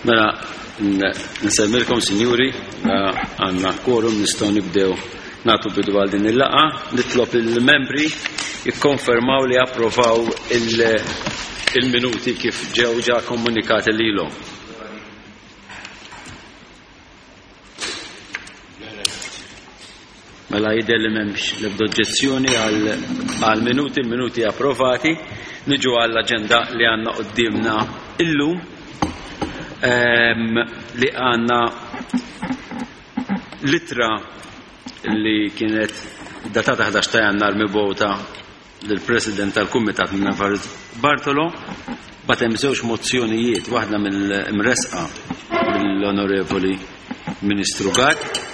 Mela, nsemmilkom, sinjuri, għandna quorum nistgħu nibdew nagħtu bidu għal din il-laqgħa. Nitlob il-membri jikkonfermaw li approvaw il-minuti kif ġew ġa komunikati lilhom. Mela jidher li m'hemmx l-ebda oġġezzjoni għal minuti, il-minuti approvati. Niġu għall-aġenda li għandna quddiemna illum ehm, li għandna litra li kienet datata 11 ta' jannar mibgħuta lill-President tal-Kumitat minn Alvarez Bartolo bagħat hemm żewġ mozzjonijiet, waħda mill-imressqa mill-Onorevoli Ministru Gatt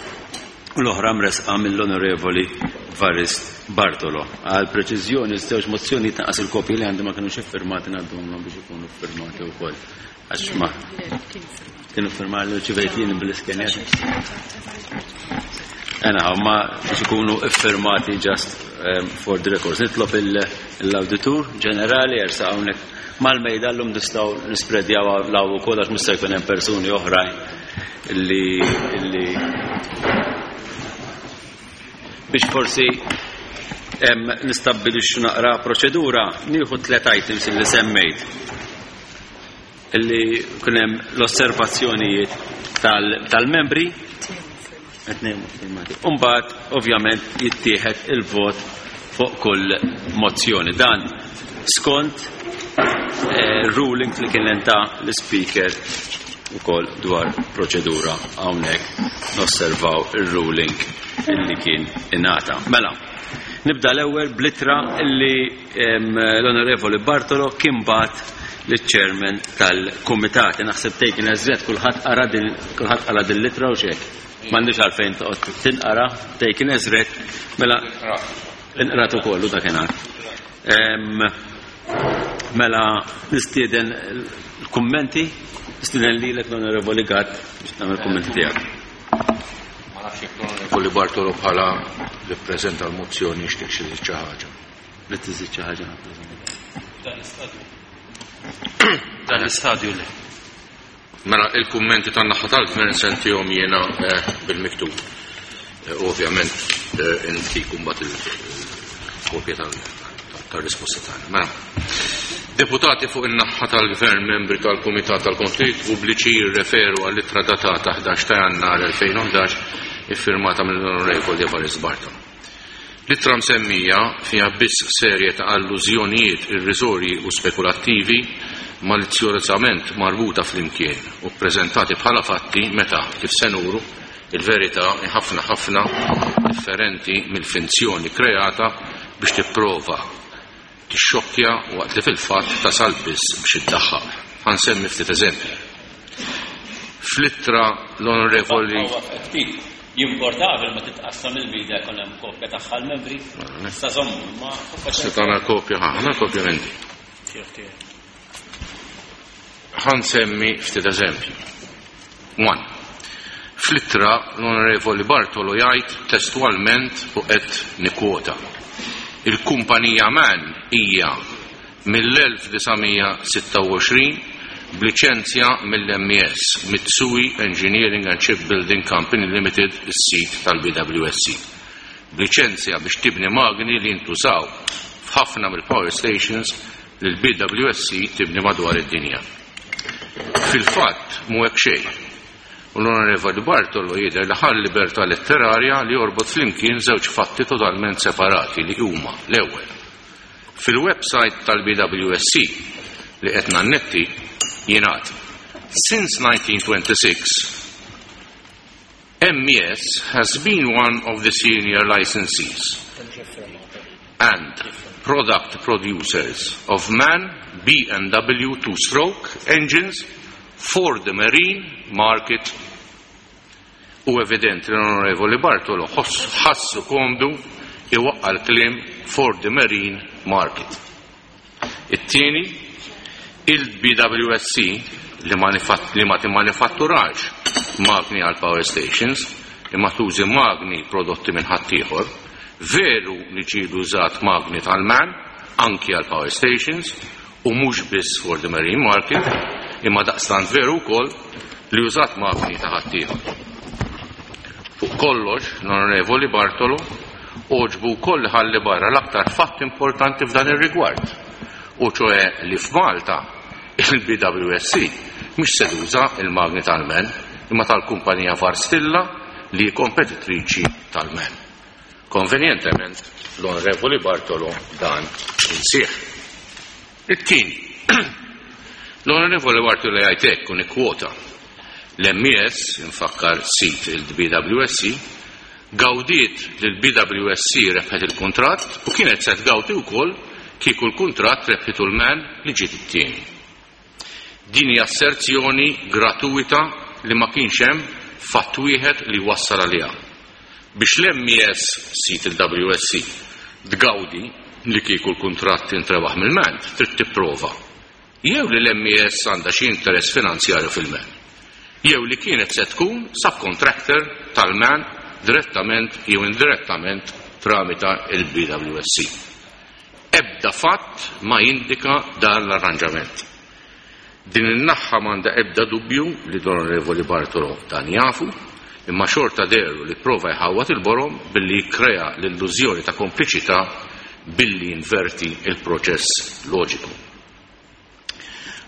u l-oħra mressqa mill-Onorevoli Varist Bartolo. Għal preċiżjoni, żewġ mozzjonijiet naqas il-kopji li għandi ma kinux iffirmati ngħadduhom biex ikunu ffirmati wkoll. Għax ma kienu firmati li rċivejt jien bl-iskener. Ena, ma biex ikunu iffirmati just um, for the records. Nitlob l-auditur ġenerali jersa hawnhekk mal-mejda llum nistgħu nispredjaw law ukoll għax mista' jkun hemm persuni oħrajn li li biex forsi nistabbilixxu naqra proċedura nieħu tliet items li semmejt Illi kien hemm l-osservazzjonijiet tal-membri. Umbagħad ovvjament jittieħed il-vot fuq kull mozzjoni. Dan skont eh, ruling li kien ta' l-speaker ukoll dwar proċedura hawnhekk nosservaw ir-ruling illi kien ingħata. Mela, nibda l-ewwel blitra illi L-Onorevoli Bartolo kien bagħat liċ-Chairman tal-Kumitat. Naħseb taken as read kulħadd qara din kulħadd qara din l-ittra u x'hekk. M'għandix għalfejn toqgħod tinqara taken as read mela inqrat ukoll u dakinhar. Mela nistieden l-kummenti, nistieden lilek l-Onorevoli Gatt biex tagħmel kummenti tiegħek. Ma nafx jekk l-Onorevoli Bartolo bħala li ppreżenta l-mozzjoni jixtieq xi xi ħaġa. Li tiżid xi ħaġa. Dan l-istadju. Dan l-istadju le. Mela il-kummenti tan-naħa tal-gvern sentihom jiena eh, bil-miktub. Eh, ovvjament eh, intikum mbagħad il-kopja tal-risposta tagħna. Mela, deputati fuq in-naħa tal-gvern membri tal-Kumitat tal-Kontijiet Pubbliċi jirreferu għall-ittra datata 11 ta' Jannar 2011 iffirmata mill-Onorevoli Evarist Bartolo. L-ittra msemmija fiha biss serje ta' allużjonijiet irriżorji u spekulattivi malizzjożament marbuta flimkien u ppreżentati bħala fatti meta, kif se nuru, il-verità hi ħafna ħafna differenti mill-finzjoni kreata biex tipprova Tixxokkja waqt li fil-fatt tasal biss biex iddaħħaq. Ħa nsemmi ftit eżempji. Fl-ittra l-Onorevoli. Jimporta qabel ma titqassam il-media jkun hemm kopja tagħha l-membri. Sa żommu imma. Se tagħna kopja, ħa kopja m'għandi. Ħa nsemmi ftit eżempji. One. Fl-ittra l-Onorevoli Bartolo jgħid testwalment u qed nikkwota, Il-kumpanija man hija mill-1926 b'liċenzja mill-MES, Mitsui Engineering and Shipbuilding Company Limited, is-sid tal-BWSC, b'liċenzja biex tibni magni li jintużaw f'ħafna mill-power stations li l-BWSC tibni madwar id-dinja. Fil-fatt, mhu hekk xejn. U l-Onorevoli Bartolo jidher li ħa l-libertà letterarja li jorbot flimkien żewġ fatti totalment separati li huma, l-ewwel, fil-websajt tal-BWSC li qed nannetti jingħad, Since 1926, MES has been one of the senior licensees and product producers of MAN B&W two-stroke engines for the marine market. Hu evidenti li l-Onorevoli Bartolo ħassu komdu iwaqqa' l-kliem for the marine market. It-tieni, il-BWSC li ma li ma timmanifatturax magni għal power stations imma tużi magni prodotti minn ħaddieħor, veru li ġieli użat magni tal-MAN anki għal power stations u mhux biss for the marine market, Imma daqstant veru wkoll li użat magni ta' ħaddieħor. Fuq kollox, l-Onorevoli Bartolo għoġbu wkoll li ħalli barra l-aktar fatt importanti f'dan ir-rigward, u ċoe li f'Malta il-BWSC mhix se tuża il-magni tal-MAN imma tal-kumpanija Varstilla li hi kompetitriċi tal-MAN. Konvenjentement, l-Onorevoli Bartolo dan insih. It-tieni, l-Onorevoli Bartolo jgħid hekk u nikkwota, L-MES, infakkar sid il-BWSC, gawdiet li l-BWSC rebħet il-kuntratt u kienet se tgawdi wkoll kieku l-kuntratt rebħitu l-MAN li ġiet it-tieni. Din hi asserzjoni gratuwita li ma kienx hemm fatt wieħed li jwassal għaliha. Biex l-MES, sid il-WSC, tgawdi li kieku l-kuntratt intrebaħ mill-MAN trid tipprova jew li l-MES għandha xi interess finanzjarju fil-MAN jew li kienet se tkun subcontractor tal-MAN direttament jew indirettament tramita il-BWSC. Ebda fatt ma jindika dan l-arranġament. Din in-naħħa m'għandha ebda dubju li l-Onorevoli Bartolo dan jafu, imma xorta dehru li pprova jħawwad il-borom billi jikkrea l-illużjoni ta' kompliċità billi jinverti l-proċess loġiku.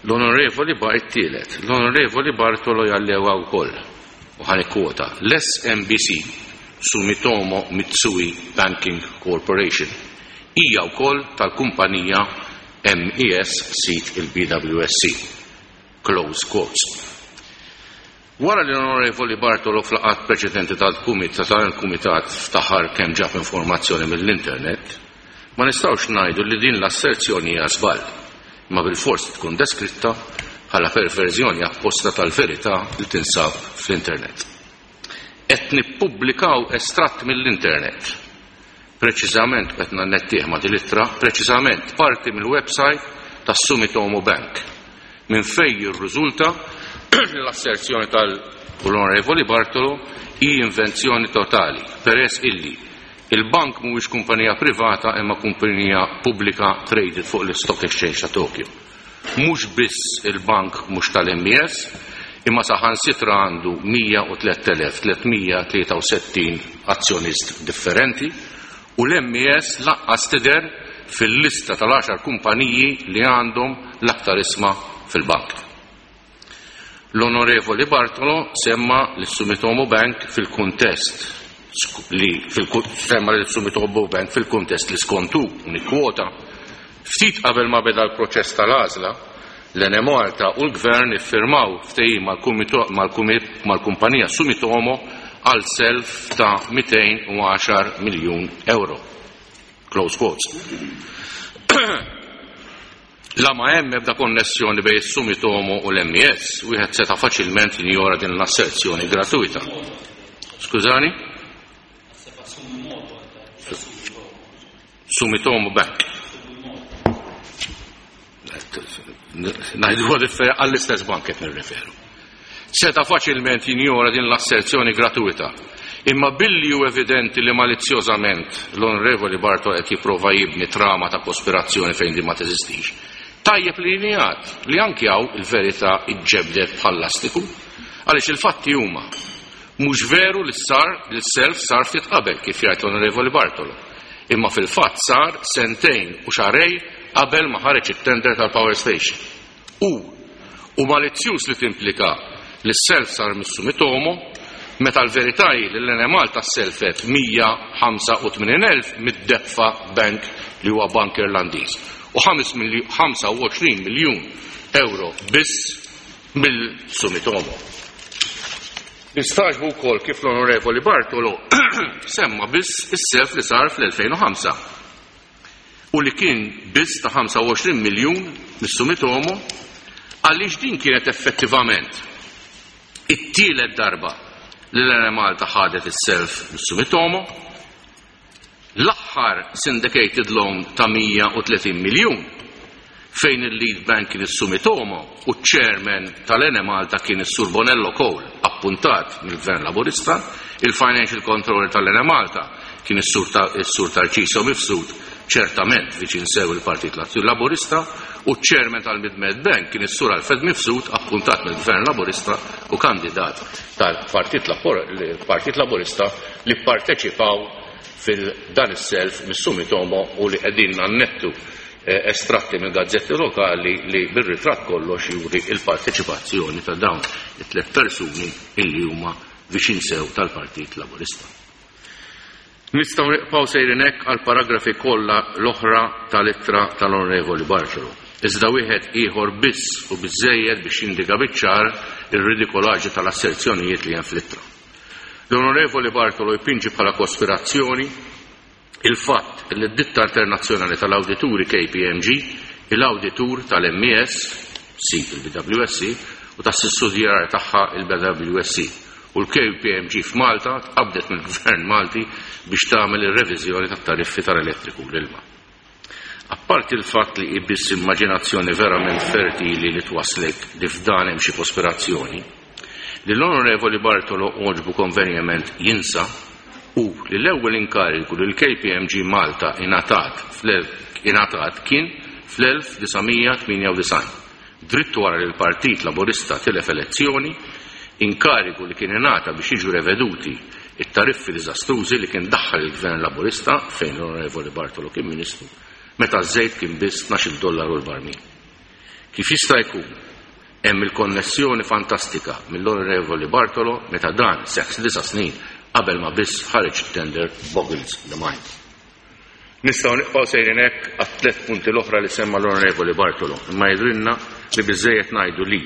L-Onorevoli Ba it-tielet, l-Onorevoli Bartolo jallega wkoll, u ħa nikkwota, l-SMBC, Sumitomo Mitsui Banking Corporation, hija wkoll tal-kumpanija MES sid il-BWSC. Close quotes. Wara li l-Onorevoli Bartolo f'laqgħat preċedenti tal-Kumitat ftaħar kemm ġab informazzjoni mill-internet, ma nistgħux ngħidu li din l-asserzjoni hija żball, imma bilfors tkun deskritta bħala perverżjoni apposta tal-verità li tinsab fl-internet. Qed nippubblikaw estratt mill-internet. Preċiżament, qed nannettih ma' din l-ittra, preċiżament parti mill-website tas-Sumitomo Bank, minn fejn jirriżulta li l-asserzjoni tal-Onorevoli Bartolo hi invenzjoni totali, peress illi il-bank mhuwiex kumpanija privata imma kumpanija pubblika traded fuq l-Stock Exchange ta' Tokyo. Mhux biss il-bank mhux tal-MES, imma saħansitra għandu 103,363 azzjonist differenti u l-MES lanqas tidher fil-lista tal-għaxar kumpaniji li għandhom l-aktar isma fil-bank. L-Onorevoli Bartolo semma lis-Sumitomo Bank fil-kuntest li semma lis-Sumitomo Bank fil-kuntest li skont hu, u nikkwota, ftit qabel ma beda l-proċess tal-għażla, l-Enemalta u l-Gvern iffirmaw ftehim mal-kumpanija Sumitomo għal self ta' 210 miljun euro. Close quotes. La ma hemm ebda konnessjoni bejn is-Sumitomo u l-MES, wieħed seta' faċilment jinjora din l-asserzjoni gratuita. Skużani? Sumitomo Bank. Ngħidu għall-istess bank qed nirreferu. Seta' faċilment jinjora din l-asserzjoni gratuita. Imma billi hu evidenti li malizzjożament l-Onorevoli Bartolo qed jipprova jibni trama ta' kospirazzjoni fejn din ma teżistix, tajjeb li jingħad li anki hawn il-verità ġġebdet bħal lastiku, għaliex il-fatti huma mhux veru li sar li s-self sar ftit qabel kif jgħid l-Onorevoli Bartolo, imma fil-fatt sar sentejn u xahrejn qabel ma ħareġ it-tender tal-power station. U hu malizzjuż li timplika li s-self sar mis-Sumitomo meta l-verità hi li l-Enemalta sselfet 185,000 mid-Depfa Bank li huwa bank Irlandiż u 25 miljun ewro biss mill-Sumitomo. Nistagħġbu wkoll kif l-Onorevoli Bartolo semma biss is-self li sar fl-2005. u li kien biss ta' 25 miljun mis-Sumitomo għaliex din kienet effettivament it-tielet darba li l-Enemalta ħadet is-self mis-Sumitomo, l-aħħar syndicated loan ta' 130 miljun fejn il-lead bank kien is-Sumitomo u ċ-chairman tal-Enemalta kien is-Sur Bonello Cole appuntat mill-Gvern Laburista, il-financial controller tal-Enemalta kien is-Sur Tarcisio Mifsud ċertament viċin sew il-Partit Laburista u U ċ-chairman tal-Mid-Med Bank kien is-Sur Alfred Mifsud appuntat mill-Gvern Laburista u kandidat tal-Partit Partit Laburista li pparteċipaw fil-dan is-self mis-Sumitomo u li qegħdin nannettu estratti minn gazzetti lokali li bir-ritratt kollox juri il-parteċipazzjoni ta' dawn it-tlet persuni illi huma viċin sew tal-Partit Laburista. Nistgħu nibqgħu sejrin hekk għall-paragrafi kollha l-oħra tal-ittra tal-Onorevoli Bartolo. Iżda wieħed ieħor biss u biżżejjed biex jindika biċ-ċar ir-ridikolaġi tal-asserzjonijiet li hemm fl-ittra. L-Onorevoli Bartolo jpinġi bħala kospirazzjoni il-fatt li d-ditta internazzjonali tal-awdituri KPMG, il-awditur tal-MES, sid il-BWSC, u tas-sussidjarja tagħha il-BWSC, u l-KPMG f'Malta tqabbdet mill-Gvern Malti biex tagħmel ir-reviżjoni tat-tariffi tal-elettriku u l-ilma. Apparti l-fatt li hi biss immaġinazzjoni verament fertili li twasslek li f'dan hemm xi kospirazzjoni, li l-Onorevoli Bartolo għoġbu konvenjement jinsa hu li l-ewwel inkarigu li l-KPMG Malta ingħatat ingħatat kien fl-1998, dritt wara li l-Partit Laburista tilef elezzjoni, inkarigu li kien ingħata biex jiġu reveduti t-tariffi diżastrużi li kien daħħal il-Gvern Laburista, fejn l-Onorevoli Bartolo kien Ministru, meta ż-żejt kien biss tnax-il dollaru l-barmil. Kif jista' jkun hemm il-konnessjoni fantastika mill-Onorevoli Bartolo meta dan seħħ disa' snin qabel ma biss ħareġ it-tender boggles the mind. Nistgħu nibqgħu sejrin hekk għat-tliet punti l-oħra li semma l-Onorevoli Bartolo, imma jidhrilna li biżżejjed ngħidu li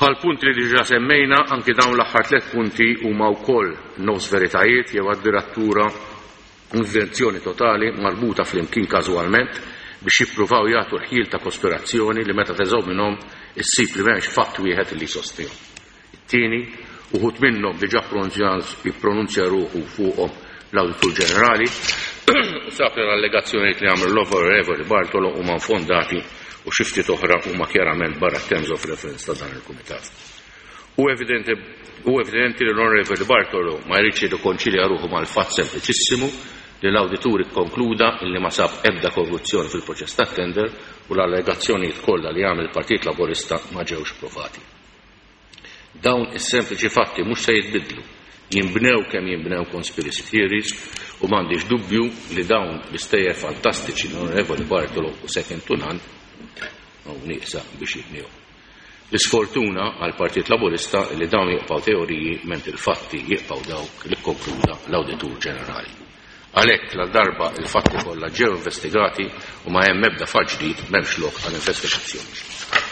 bħall-punti li diġà semmejna, anki dawn l-aħħar tliet punti huma wkoll nofs veritajiet jew addirattura invenzjoni totali marbuta flimkien każwalment biex jippruvaw jagħtu l-ħjiel ta' kospirazzjoni li meta teżominhom issib li m'hemmx fatt wieħed li jsostnihom. It-tieni, uħud minnhom diġà ippronunzja ruħu fuqhom l-Awditur Ġenerali u sab li l-allegazzjonijiet li għamlu l-Onorevoli Bartolo huma nfondati u xi ftit oħra huma kjarament barra t-terms of reference ta' dan il-Kumitat. Hu evidenti hu evidenti li l-Onorevoli Bartolo ma jridx jirrikonċilja ruħu mal-fatt sempliċissimu li l-awditur ikkonkluda illi ma sab ebda korruzzjoni fil-proċess tat-tender u l-allegazzjonijiet kollha li għamel il-Partit Laburista ma ġewx provati. Dawn is-sempliċi fatti mhux se jitbiddlu, jinbnew kemm jinbnew conspiracy theories u m'għandix dubju li dawn l-istejjer fantastiċi l-Onorevoli Bartolo u second to none hawn nieqsa biex jibnihom. L-isfortuna għall-Partit Laburista li dawn jibqgħu teoriji mentri l-fatti jibqgħu dawk li kkonkluda l-Awditur Ġenerali. Għalhekk ladarba l-fatti kollha ġew investigati u ma hemm ebda fatt ġdid m'hemmx lok għal investigazzjoni ġdida.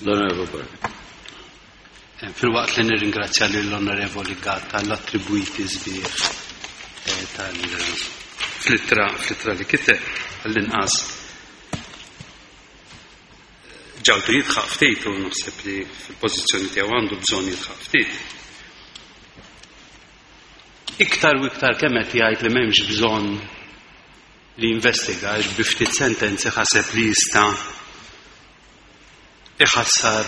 L-Onorevoli Bartolo. Filwaqt li nirringrazzja lill-Onorevoli Gatt għall-attribwiti sbieħ tal fl-ittra fl-ittra li kiteb għall-inqas ġaltu jidħaq ftit u naħseb li fil-pożizzjoni tiegħu għandu bżonn jidħaq ftit. Iktar u iktar kemm qed jgħid li m'hemmx bżonn li jinvestiga għax bi ftit sentenzi ħaseb li jista' iħassar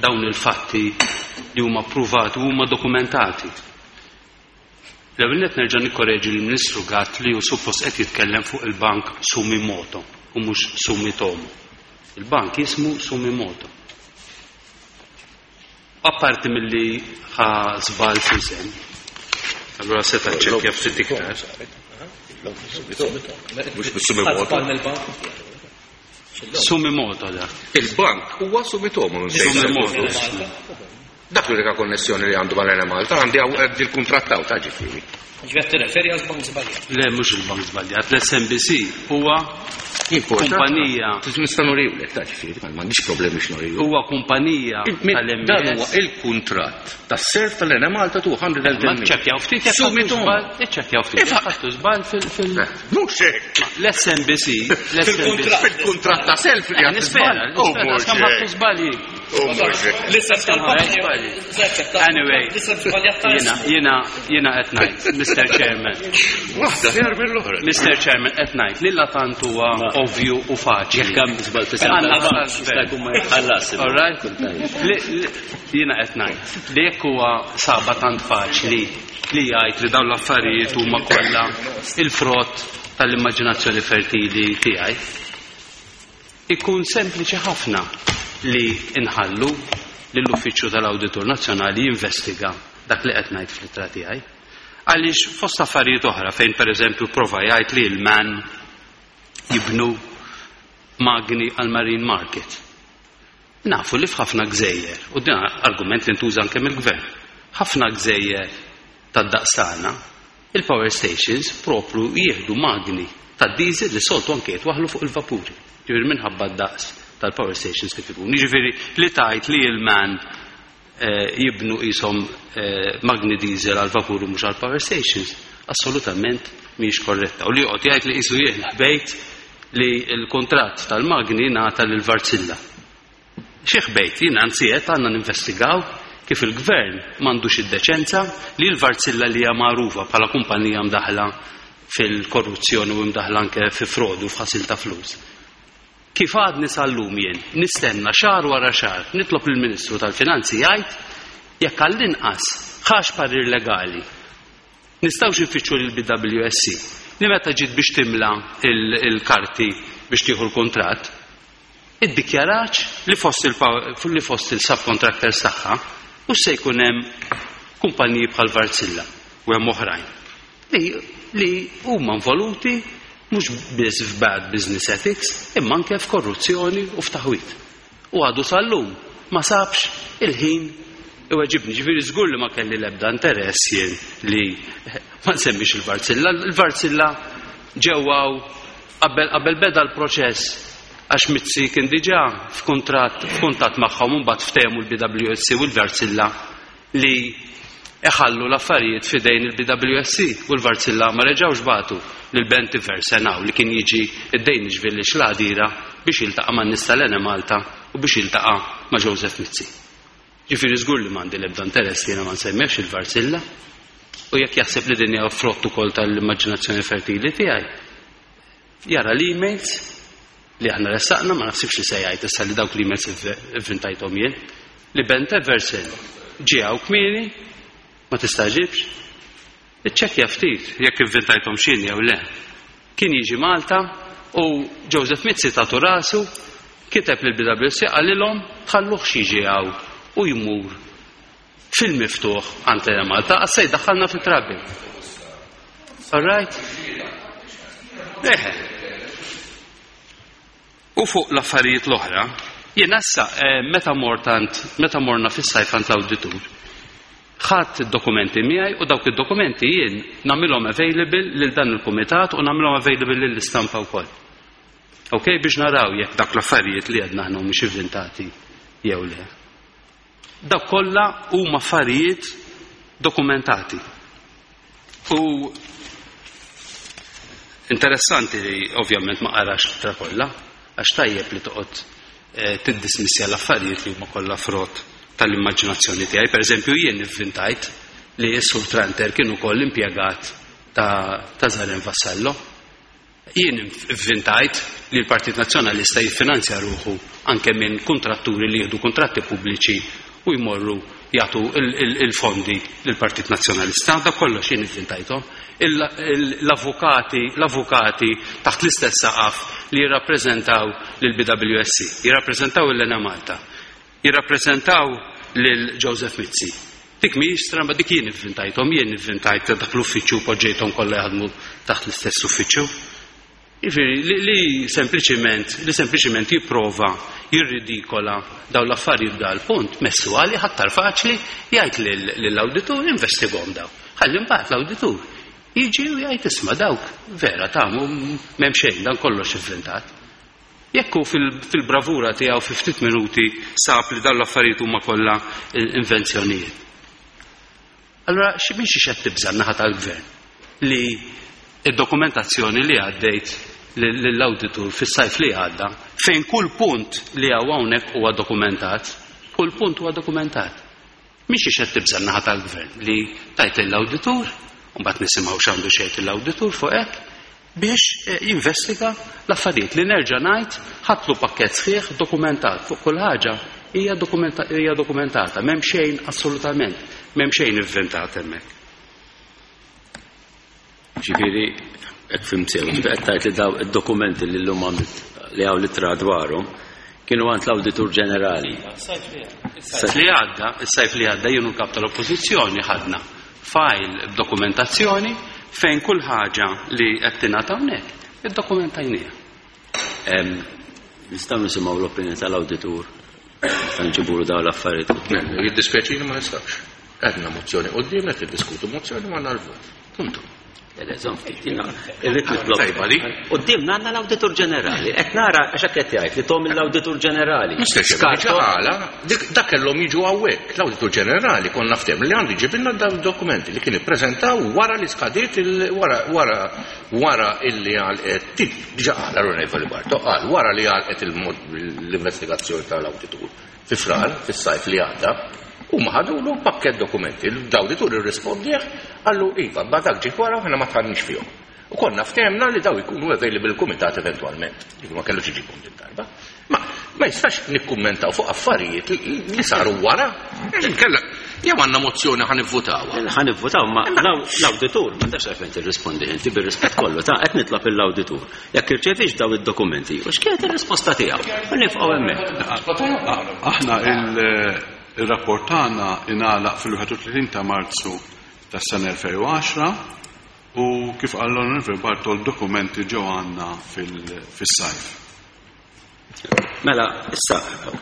dawn il-fatti li huma ppruvati u huma dokumentati. L-ewwel nett nerġa' nikkoreġi lill-Ministru Gatt li hu suppost qed jitkellem fuq il-bank Sumimoto u mhux Sumitomo. Il-bank jismu Sumimoto. Apparti milli ħa żball fl-isem, allura seta' ċċekkja ftit iktar. Mhux bis-Sumimoto. Sumimoto dak. Il-bank huwa Sumitomo. Sumimoto. Dak l-unika konnessjoni li għandu mal-Enemalta għandi għandi l-kuntratt hawn ta' ġifieri. Ġifieri qed tirreferi għal bank żbaljat. Le mhux il-bank żbaljat, l-SMBC huwa kumpanija. Nista' nuriwlek ta' ġifieri, m'għandix problemi biex nuriwlek. Huwa kumpanija tal-MES. Dan huwa il-kuntratt tas-self tal-Enemalta 210 Ma ċċekkjaw ftit jekk Sumitomo. Iċċekkjaw ftit jekk ħadtu żball fil Mhux hekk. L-SMBC, l-SMBC. Fil-kuntratt ta' self li għad Nispera, nispera, kemm ħadtu żbalji. L-isem tal-bank. Anyway, jiena jiena jiena qed ngħid, Mr. Chairman. Waħda ħjar mill-oħra. Mr. Chairman qed ngħid li la tant huwa ovvju u faċli. Jekk hemm żball f'isem tal-bank, jista' jkun ma jitħallas. All right? Jiena qed ngħid li jekk huwa saba tant faċli li jgħid li dawn l-affarijiet huma kollha il-frott tal-immaġinazzjoni fertili tiegħi, ikun sempliċi ħafna li nħallu lill-Uffiċċju tal-Awditur Nazzjonali jinvestiga dak li qed ngħid fl-ittra tiegħi. Għaliex fost affarijiet oħra fejn pereżempju prova jgħid li l-man jibnu magni għal marine market. Nafu li f'ħafna gżejjer, u din argument li ntuża anke mill-gvern, ħafna gżejjer tad-daqs tagħna, il-power stations propru jieħdu magni tad-diesel li soltu anke jitwaħlu fuq il-vapuri. Ġifieri minħabba d-daqs tal-power stations kif ikun. Jiġifieri li tajt li l-man jibnu qishom magni diesel għal vapur u mhux għal power stations, assolutament mhijiex korretta. U li joqgħod jgħid li qisu jien ħbejt li l-kuntratt tal-magni ngħata lil Wärtsilä. Xi ħbejt, jien anzi qed għandna ninvestigaw kif il-gvern m'għandux id-deċenza li l-Wärtsilä li hija magħrufa bħala kumpanija mdaħla fil-korruzzjoni u mdaħla anke fi frodu f'ħasil ta' flus. Kif għadni sal-lum jien nistenna xahar wara xahar nitlob lill-Ministru tal-Finanzi jgħid jekk għall-inqas ħax parir legali nistgħux infittxu lill-BWSC li meta ġiet biex timla il-karti biex tieħu l-kuntratt iddikjarax li fost li fost il-subcontractors tagħha u se jkun hemm kumpaniji bħal Wärtsilä u hemm oħrajn li li huma involuti mhux biss f'bad business ethics imma anke f'korruzzjoni u f'taħwit. U għadu sal-lum ma sabx il-ħin iweġibni. Ġifieri żgur li ma kelli l-ebda interess jien li ma nsemmix il-Wärtsilä. Il-Wärtsilä ġewwaw qabel qabel beda l-proċess għax Mizzi kien diġà f'kuntratt f'kuntatt magħhom u mbagħad ftehmu l-BWSC u l-Wärtsilä li iħallu l-affarijiet f'idejn il-BWSC u l-Wärtsilä ma reġgħux bagħtu lil Bent Iversen hawn li kien jiġi id-Danish Village l-Għadira biex jiltaqa' man-nies tal-Enemalta u biex jiltaqa' ma' Joseph Mizzi. Ġifieri żgur li m'għandi l-ebda interess li jiena ma nsemmihx il-Wärtsilä u jekk jaħseb li din hija frott ukoll tal-immaġinazzjoni fertili tiegħi, jara l-emails li aħna ressaqna, ma naħsibx li se jgħid issa li dawk l-emails ivvintajthom jien, li Bent Eversen ġie hawn kmieni, ma tistaġibx, iċċekkja ftit jekk ivvintajthom x'jien jew le. Kien jiġi Malta u Joseph Mizzi tatu rasu, kiteb lil BWC qalilhom tħalluhx jiġi hawn u jmur fil-miftuħ għand l Malta għax se jdaħħalna fi trouble. All right? Eħe. U fuq l-affarijiet l-oħra, jiena issa meta mort għand meta morna fis-sajf għand l-awditur, ħadt id-dokumenti miegħi u dawk id-dokumenti jien nagħmilhom available lil dan il-kumitat u nagħmilhom available lill-istampa wkoll. Ok, biex naraw jekk dak l-affarijiet li għedna aħna mhumiex ivvintati jew le. Dawk kollha huma affarijiet dokumentati. U interessanti li ovvjament ma qarax l-ittra kollha, għax tajjeb li toqgħod tiddismissja l-affarijiet li huma kollha frott tal-immaġinazzjoni tiegħi. Per eżempju, jien ivvintajt li s-Sur Tranter kien ukoll impjegat ta', ta Zaren Vassallo. Jien ivvintajt li l-Partit Nazzjonalista jiffinanzja ruħu anke minn kontratturi li jieħdu kontratti pubbliċi u jmorru jagħtu il-fondi lill-Partit Nazzjonalista. Da kollox jien ivvintajthom. L-avukati, l-avukati taħt l-istess saqaf li jirrappreżentaw lill-BWSC, jirrappreżentaw l-Enemalta, jirrappreżentaw lil Joseph Mizzi. Dik mhijiex stramba, dik jien ivvintajthom, jien ivvintajt dak l-uffiċċju u poġġejthom kollha jaħdmu taħt l-istess uffiċċju. Jiġifieri li, li sempliċiment li sempliċiment jipprova jirridikola dawn l-affarijiet dal punt messu għali ħattar faċli jgħid lill-awditur investigahom daw. Ħalli mbagħad l-awditur jiġi u jgħid isma' dawk vera ta' m'hemm xejn dan kollox ivvintat. Jekk hu fil-bravura tiegħu fi ftit minuti sab li dawn l-affarijiet huma kollha invenzjonijiet. Allura xi minn xi qed tibża' n-naħa tal-gvern li id-dokumentazzjoni li għaddejt lill-awditur fis-sajf li għadda fejn kull punt li hawn hawnhekk huwa dokumentat. Kull punt huwa dokumentat. Mhix xi qed tibża' n-naħa tal-gvern li tajt lill-awditur, u mbagħad nisimgħu x'għandu xejn l-awditur fuq hekk, biex jinvestiga l-affarijiet li nerġa' ngħid ħadtlu pakkett sħiħ dokumentat fuq kull ħaġa hija dokumentata, m'hemm xejn assolutament, m'hemm xejn ivvintat hemmhekk. Ġifieri, hekk fhimt sew, ġifieri qed tgħid li daw id-dokumenti li llum għamilt li hawn l-ittra dwarhom kienu għand l-Awditur Ġenerali. Is-sajf li għadda, is-sajf li għadda jien u l-Kap tal-Oppożizzjoni ħadna file b'dokumentazzjoni fejn kull ħaġa li qed tingħata hawnhekk iddokumentajniha. Nistgħu nisimgħu l-opinjoni tal-Awditur meta nġibulu dawn l-affarijiet quddiem. Jiddispjaċini ma nistax. Għedna mozzjoni quddiem qed niddiskutu mozzjoni ma għandna l-vot. Punto. Irrid nitlob. Tajba li. Qudiemna għandna l-Awditur Ġenerali. Qed nara għax hekk qed jgħid li tom l-Awditur Ġenerali. Skarto. Għala, dak kellhom jiġu hawnhekk. L-Awditur Ġenerali konna ftehim li għandu jġibilna dawn dokumenti li kien ippreżentaw wara li skadiet wara wara wara illi għalqet diġà qal l-Onorevoli Barto qal wara li għalqet l-investigazzjoni tal-awditur fi Frar, fis-sajf li għadda, huma ħadulu pakkett dokumenti. L-awditur irrispondih qallu iva, ba dak ġie wara aħna ma tħannix fihom. U konna ftehemna li daw ikunu available l-kumitat eventwalment. Ġifieri ma kellux iġibhom din darba. Ma ma jistax nikkummentaw fuq affarijiet li saru wara. Inkella jew għandna mozzjoni ħa nivvutawha. Ħa nivvutaw ma l-awditur m'għandax għalfejn tirrispondi inti bir-rispett kollu ta' qed nitlob lill-awditur. Jekk irċeviex daw id-dokumenti, u x'kienet ir-risposta tiegħu? U nifqgħu hemmhekk. Aħna il-rapport tagħna ingħalaq fil-31 ta' Marzu tas-sena 2010 u kif qal l-Onorevoli Bartol dokumenti ġew għandna fis-sajf. Mela, issa,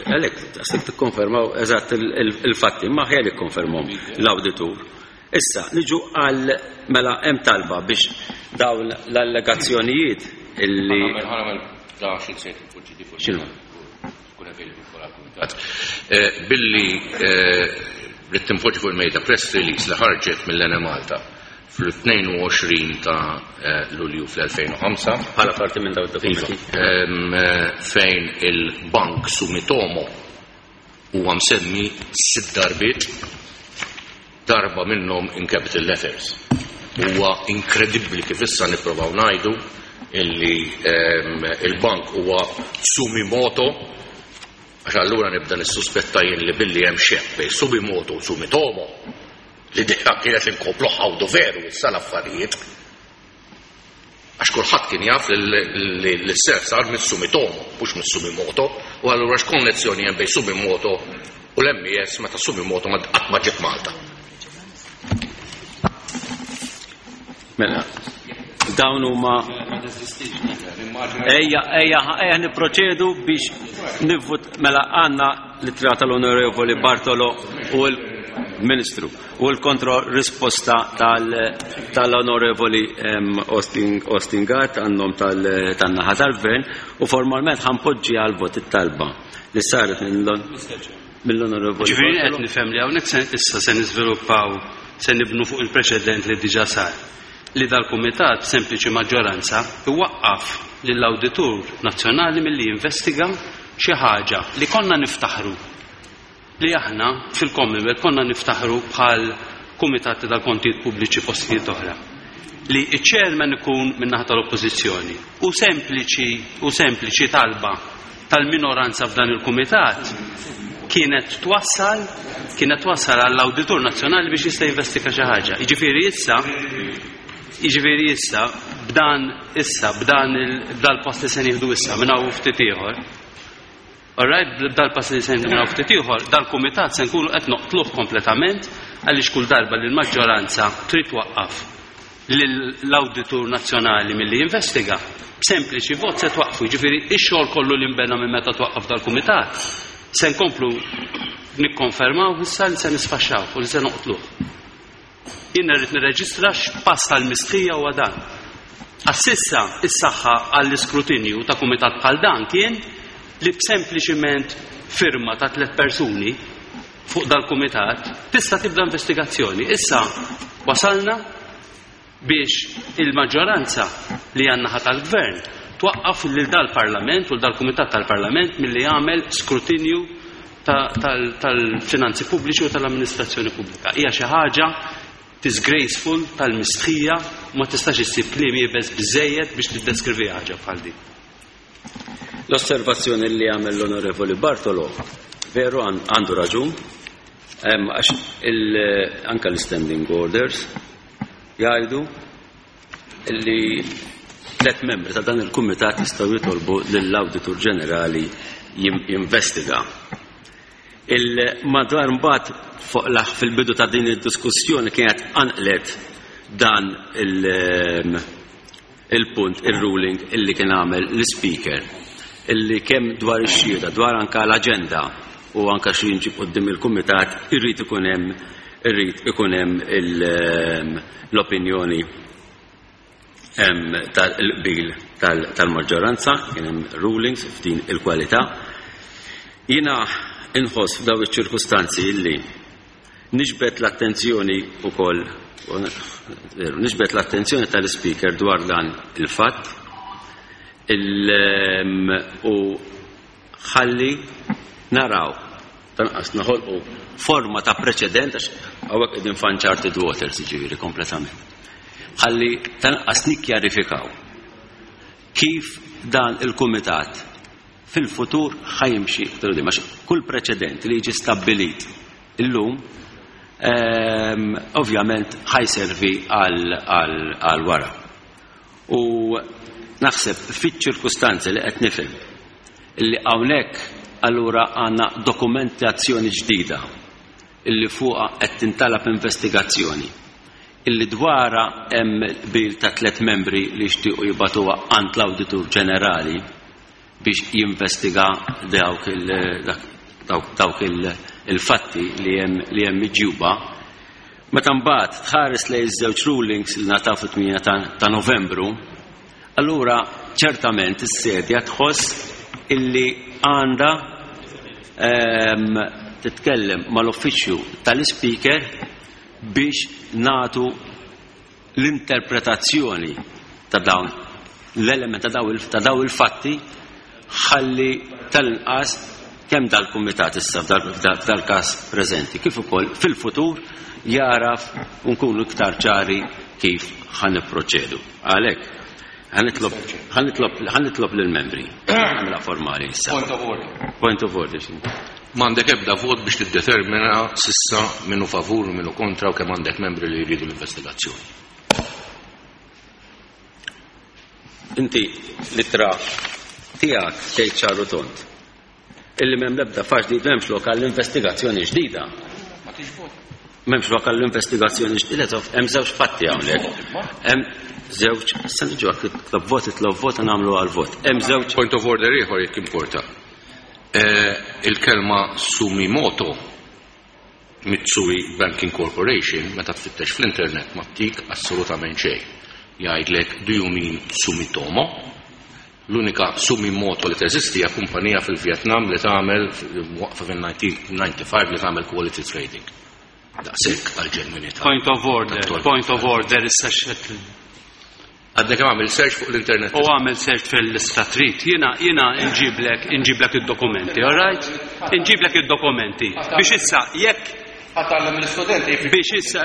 għalek, għastik tikkonfermaw eżatt il-fatti, ma ħjar ikkonfermhom l-awditur. Issa, niġu għal, mela, hemm talba biex dawn l-allegazzjonijiet illi. X'inhu? Billi rrid tinpoġġi fuq il-mejda press release li ħarġet mill-Enemalta fl-22 ta' Lulju fl-2005. Bħala parti minn dawn id-dokumenti. Fejn il-Bank Sumitomo huwa msemmi 6 darbiet, darba minnhom in capital letters. Huwa inkredibbli kif issa nipprovaw ngħidu illi il-bank huwa Sumimoto, għax allura nibda nissuspetta jien li billi hemm xebh bejn Sumimoto u Sumitomo, l-idea kienet li nkomplu ħawdu veru issa l-affarijiet. Għax kulħadd kien jaf li l-self sar mis-Sumitomo, mhux mis-Sumimoto, u allura x'konnezzjoni hemm bejn Sumimoto u l-MES meta Sumimoto ma qatt ma ġiet Malta. Mela, dawn huma Ejja, ejja, ejja nipproċedu biex nivvut mela għandna l-ittra tal-Onorevoli Bartolo u l-Ministru u l-kontro risposta tal-Onorevoli Austin Gatt għannom tan-naħa tal-Gvern u formalment ħanpoġġi għal vot it-talba li saret mill-Onorevoli. Ġifieri qed nifhem li hawnhekk issa se niżviluppaw, se nibnu fuq il-preċedent li diġà sar, li dal-kumitat b'sempliċi maġġoranza iwaqqaf lill-Awditur Nazzjonali milli jinvestiga xi ħaġa li konna niftaħru li aħna fil-Commonwealth konna niftaħru bħal kumitati tal-kontijiet pubbliċi postijiet oħra, li iċ-chairman ikun min-naħa tal-Oppożizzjoni u sempliċi u sempliċi talba tal-minoranza f'dan il-kumitat kienet twassal kienet twassal għall-Awditur Nazzjonali biex jista' jinvestiga xi ħaġa. Jiġifieri issa, jiġifieri issa b'dan issa b'dan il-pass li se nieħdu issa minn hawn ftit ieħor. All right, b'dal-pass li se nieħdu minn hawn ftit ieħor, dal-kumitat se nkunu qed noqtluh kompletament għaliex kull darba li l-maġġoranza trid twaqqaf lill-Awditur Nazzjonali milli jinvestiga, b'sempliċi vot se twaqqfu. Jiġifieri ix-xogħol kollu li nbena minn meta twaqqaf dal-kumitat se nkomplu nikkonfermaw issa li se nisfaxxaw u li se noqtluh. Jien rrid nirreġistra x'pass tal-mistħija huwa dan. Għas-sissa is-saħħa għall-iskrutinju ta' kumitat bħal dan kien li b'sempliċiment firma ta' 3 persuni fuq dal-kumitat tista' tibda investigazzjoni. Issa wasalna biex il-maġġoranza li għandna ħadd tal-gvern twaqqaf lil dal-Parlament u dal-Kumitat tal-Parlament milli jagħmel skrutinju tal-finanzi pubbliċi u tal-amministrazzjoni pubblika. Hija xi ħaġa disgraceful, tal-mistħija, ma tistax issib kliem iebes biżżejjed biex tiddeskrivi ħaġa bħal din. L-osservazzjoni li għamel l-Onorevoli Bartolo, veru għandu raġun, għax anka l-standing orders jgħidu li tlet membri ta' dan il-kumitat jistgħu jitolbu lill-Awditur Ġenerali jinvestiga. Il-madwar mbagħad fuq fil-bidu ta' din id-diskussjoni kienet anqlet dan il-punt, il-ruling illi kien għamel l-speaker, illi kemm dwar ix-xhieda, dwar anka l-aġenda u anka xi jinġib quddiem il-kumitat irrid ikun hemm irrid ikun hemm l-opinjoni tal-qbil tal-maġġoranza, kien hemm rulings f'din il-kwalità. Jiena inħoss f'daw iċ-ċirkustanzi illi niġbed l-attenzjoni wkoll niġbed l-attenzjoni tal-speaker dwar dan il-fatt u ħalli naraw tanqas naħolqu forma ta' preċedent għax hawnhekk qegħdin f'uncharted waters jiġifieri kompletament. Ħalli tanqas nikkjarifikaw kif dan il-kumitat fil-futur ħajimxi iktar quddiem għax kull preċedent li jiġi stabbilit illum ovvjament ħajservi għal wara. U naħseb fiċ-ċirkustanzi li qed nifhem illi hawnhekk allura għandna dokumentazzjoni ġdida illi fuqha qed tintalab investigazzjoni illi dwarha hemm qbil ta' tliet membri li jixtiequ jibagħtuha għand l-Awditur Ġenerali biex jinvestiga dawk il-fatti li hemm li hemm miġjuba. Meta mbagħad tħares lejn iż-żewġ rulings li ngħataw fit-8 ta' Novembru, allura ċertament is-sedja tħoss illi għandha titkellem mal-uffiċċju tal-Ispeaker biex nagħtu l-interpretazzjoni ta' dawn l-element ta' daw il-fatti ħalli tal-inqas kemm dal-kumitat issa f'dal-każ preżenti kif ukoll fil-futur jaraf u nkunu iktar ċari kif ħa nipproċedu. Għalhekk ħa nitlob lill-membri. Nagħmilha formali issa. Point of order. Point of order. M'għandek ebda vot biex tiddetermina sissa minnu favur u minnu kontra u kemm għandek membri li jridu l-investigazzjoni. Inti l-ittra tiegħek tgħid ċar u tond illi m'hemm l-ebda fax ġdid m'hemmx lok għall-investigazzjoni ġdida. M'hemmx lok għall-investigazzjoni ġdida, hemm żewġ fatti hawnhekk. Hemm żewġ, se niġu titlob vot, titlob vot nagħmlu għal-vot. Hemm żewġ Point of order ieħor jekk importa. Il-kelma Sumimoto Mitsui Banking Corporation meta tfittex fl-internet ma ttik assolutament xejn. Jgħidlek do you mean Sumitomo? L-unika Sumimoto li teżisti hija kumpanija fil-Vietnam li tagħmel waqfa fil-1995 li tagħmel quality trading. Daqshekk għal-ġenwinità. Point of order, point of order, issa xed Għadni kemm għamil search fuq l-internet. U għamil search fil-istatrit. Jiena nġiblek id-dokumenti, all right? Nġiblek id-dokumenti. Biex issa, jekk Ħa tgħallem l-istudenti. Biex issa,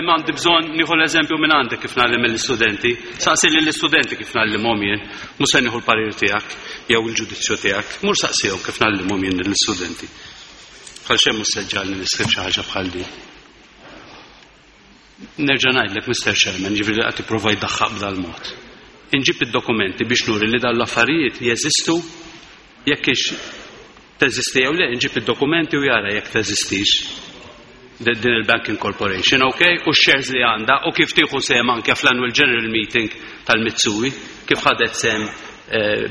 m'għandi bżonn nieħu l-eżempju minn għandek kif ngħallem l-istudenti. Saqsi lill-istudenti kif ngħallimhom jien. Mhux se nieħu l-parir tiegħek jew il-ġudizzju tiegħek. Mur saqsihom kif ngħallimhom jien lill-istudenti. Bħal xejn mhux se ġġagħalni niskriv xi ħaġa bħal din. Nerġa' ngħidlek, Mr. Chairman, ġifieri qed tipprova jdaħħaq b'dal-mod. Inġib id-dokumenti biex nuri li dan l-affarijiet jeżistu jekk ix teżisti jew le, inġib id-dokumenti u jara jekk teżistix din il-Banking Corporation, ok? U shares li għandha u kif tieħu sehem anke fl-Annual General Meeting tal-Mitsui, kif ħadet sehem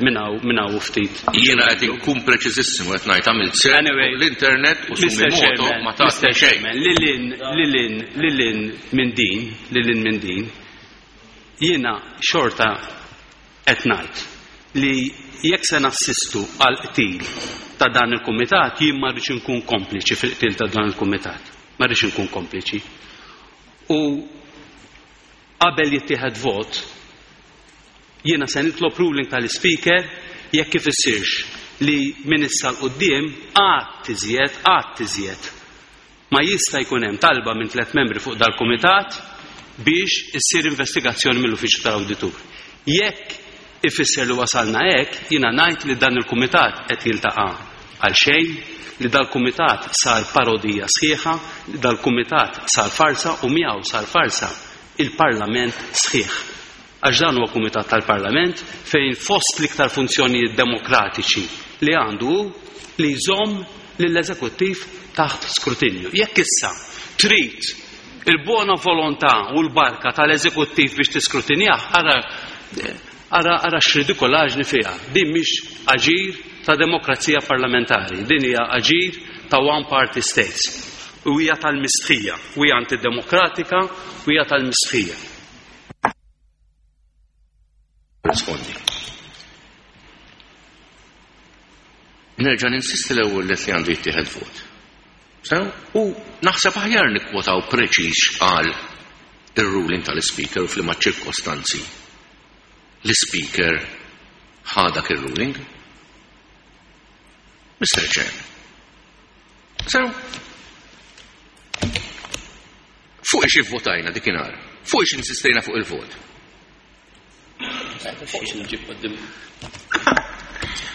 minn hawn ftit. Jiena qed inkun preċiżissimu qed ngħid għamilt search Anyway, l-internet u Mr. Sumimoto Chairman, ma Mr. tatni xejn. Chairman, lilin, lilin, lilin minn din, lilin minn din, jiena xorta qed ngħid li jekk se nassistu għal qtil ta' dan il-kumitat, jien ma rridx inkun kompliċi fil-qtil ta' dan il-kumitat. Ma rridx inkun kompliċi. U qabel jittieħed vot, jiena se nitlob ruling tal-speaker jekk kif issirx li minn issa 'l quddiem qatt iżjed, qatt iżjed ma jista' jkun hemm talba minn tlett membri fuq dal-kumitat biex issir investigazzjoni mill-Uffiċċju tal-Awditur. Jekk ifisser li wasalna hekk, jiena ngħid li dan il-kumitat qed jiltaqa' għal xejn, li dal-kumitat sar parodija sħiħa, li dal-kumitat sar farsa u miegħu sar farsa il-Parlament sħiħ. Għax dan huwa kumitat tal-Parlament fejn fost l-iktar funzjonijiet demokratiċi li għandu hu li jżomm lill-eżekuttiv taħt skrutinju. Jekk issa trid il-buona volontà u l-barka tal-eżekuttiv biex tiskrutinjah, ara ara ara x'ridikolaġni fiha. Din mhix aġir ta' demokrazija parlamentari, din hija aġir ta' one party states. U hija tal-mistħija, u hija antidemokratika, u hija tal-mistħija. Rispondi. Nerġa' ninsisti l-ewwel li għandu jittieħed vot. Sew, u naħseb aħjar nikkwotaw preċiż x'qal ir-ruling tal-Ispeaker u f'liema ċirkostanzi l-Ispeaker ħa dak ir-ruling. Mr. Chairman. Sew, fuq ix ivvotajna dikinhar, fuq ix insistejna fuq il-vot.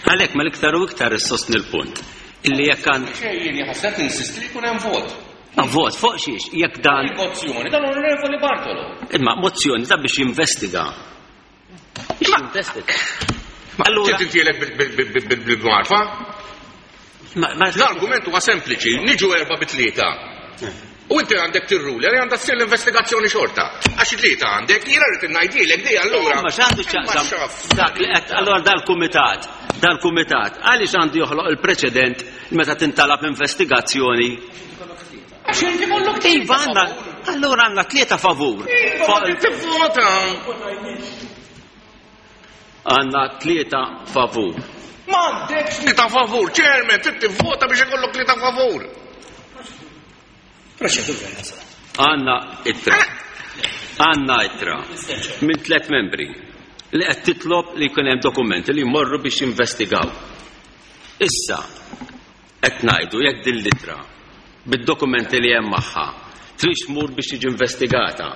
Għalhekk ma l-iktar u iktar issostni l-punt illi jekk għand. Xejn ħasset insisti li jkun hemm vot. Ma vot fuq xiex, jekk dan. Mozzjoni tal-Onorevoli Bartolo. Imma mozzjoni ta' biex jinvestiga. Biex jinvestiga. Allura. Tintielek bil-marfa? L-argument huwa sempliċi, niġu erba' bi tlieta. U inti għandek tirruli, għalli għandha ssir l-investigazzjoni xorta. Għax tlieta għandek, jiena rrid ngħidilek di allura. Ma x'għandu x'jaqsam dak li qed allura dal-kumitat, dal-kumitat għaliex għandu joħloq il-preċedent meta tintalab investigazzjoni? Għax inti kollok Iva għandna, allura għandna tlieta favur. Iva, tivvota. Għandna tlieta favur. M'għandekx tlieta favur, chairman, trid tivvota biex ikollok tlieta favur. Proċedura jasal. Għandna ittra. Għandna ittra minn tliet membri li qed titlob li jkun hemm dokumenti li jmorru biex jinvestigaw. Issa qed ngħidu jekk din l-ittra bid-dokumenti li hemm magħha trid tmur biex tiġi investigata.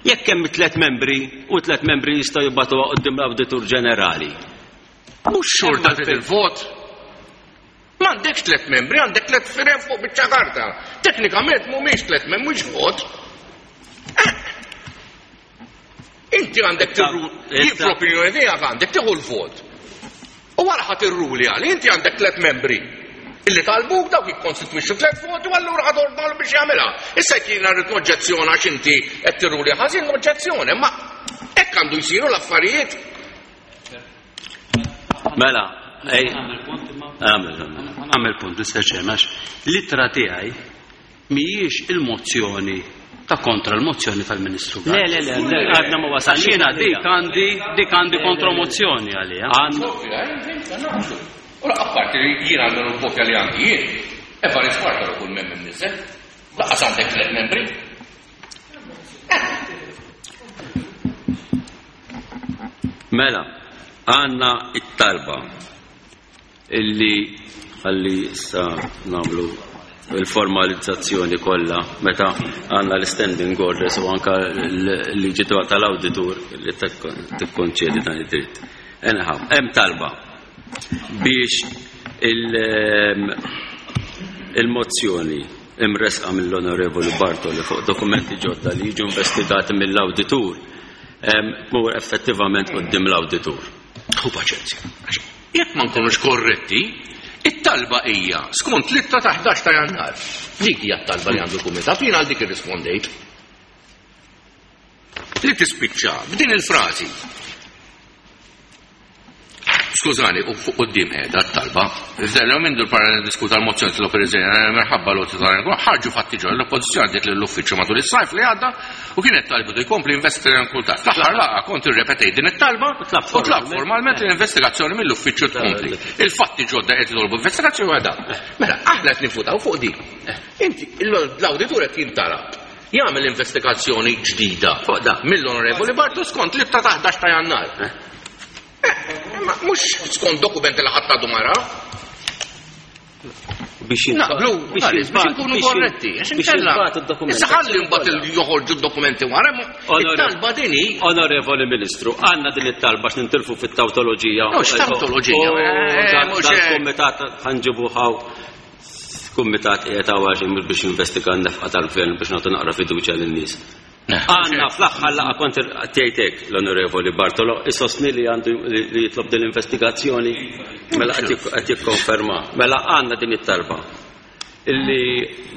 Jekk hemm tliet membri u tliet membri jistgħu jibgħatuha quddiem l-Awditur Ġenerali. Mhux xorta trid il-vot. M'għandekx tliet membri, għandek tliet firem fuq biċċa karta. Teknikament mhumiex tliet membri, mhux vot. Eh. Inti għandek tirru, jien fl-opinjoni tiegħek għandek tieħu l-vot. U wara ħadd irruli għal, inti għandek tliet membri illi talbuk dawk jikkonstitwixxu tliet voti u allura ħad ordnalu biex jagħmilha. Issa jekk jiena rrid noġġezzjona għax inti qed tirruli ħażin noġġezzjoni, ma hekk għandu jsiru l-affarijiet. Mela, ej. Għamel punt, Mr. Chairman, l-ittra tiegħi mhijiex il-mozzjoni ta' kontra l-mozzjoni tal-Ministru. Le, le, le, le, għadna ma wasalx. Jiena dik għandi dik għandi kontromozzjoni għaliha. Ora apparti li jiena għandu l-kopja li għandi jien, Evarist Bartolo kull mem imniżel, laqas għandek tliet membri. Mela, għandna it-talba illi ħalli issa nagħmlu il-formalizzazzjoni kollha meta għandna l-standing orders u anka l-liġi tal-awditur li tikkonċedi dan id-dritt. Anyhow, hemm talba biex ehm, il-mozzjoni imresqa mill-Onorevoli Bartoli fuq dokumenti ġodda li jiġu investigati mill-awditur ehm, tmur effettivament quddiem l-awditur. Hu paċenzja. Jekk ma nkunux korretti, it-talba hija skont l-ittra ta' 11 ta' Jannar. Dik hija t-talba li għandu l-kumitat, jien għal dik irrispondejt. Li tispiċċa b'din il-frażi. Skużani, u fuq quddiem qiegħda t-talba. Iżda l minn l-Parlament diskuta l-mozzjoni tal-Oppożizzjoni minħabba l tal ħarġu fatti ġol l-Oppożizzjoni għaddiet lill-Uffiċċju matul is-sajf li għadda u kienet talbitu jkompli investiga kultat. Fl-aħħar laqgħa kont irrepetejt din it-talba u tlab formalment l-investigazzjoni mill-uffiċċju tkompli. Il-fatti ġodda qed jitolbu investigazzjoni għadha. Mela, aħna qed nifutaw fuq din. Inti, l-awditur qed jintalab jagħmel investigazzjoni ġdida fuq da mill-Onorevoli Bartu skont l-ittra ta' 11 ta' Jannar. Eh, imma. Mhux skont dokumenti li ħadd għadu ma ra. Biex Naqblu, biex nkunu korretti, għax inkella. Issa ħalli mbagħad joħorġu d-dokumenti wara, it-talba din hi. Onorevoli Ministru, għandna din it-talba x'nintilfu fit-tawtoloġija. Mhux tawtoloġija. Kumitat ħanġibu ħaw kumitat qiegħed hawn għax mhux biex jinvestiga n-nefqa tal-gvern biex nagħtu naqra fiduċja lin-nies. Għandna fl-aħħar laqgħa kont tgħidek l-Onorevoli Bartolo isostni li għandu li jitlob din l-investigazzjoni mela qed jikkonferma. Mela għandna din it-talba illi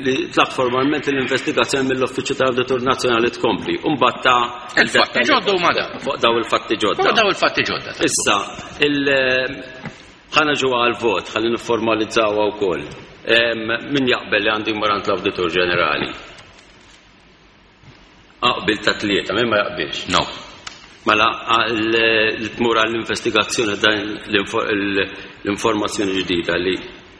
li tlab formalment l-investigazzjoni mill-Uffiċċju tal-Awditur Nazzjonali tkompli. Imbagħad ta' Il-fatti ġodda huma dawn. Fuq daw il-fatti ġodda. Fuq daw il-fatti ġodda. Issa, il ħa niġu għal-vot, ħalli nifformalizzawha wkoll. Min jaqbel li għandu jmur għand l-Awditur Ġenerali? Qbil ta' tlieta, min ma jaqbilx? No. Mela, li tmur għall-investigazzjoni dan l-informazzjoni ġdida li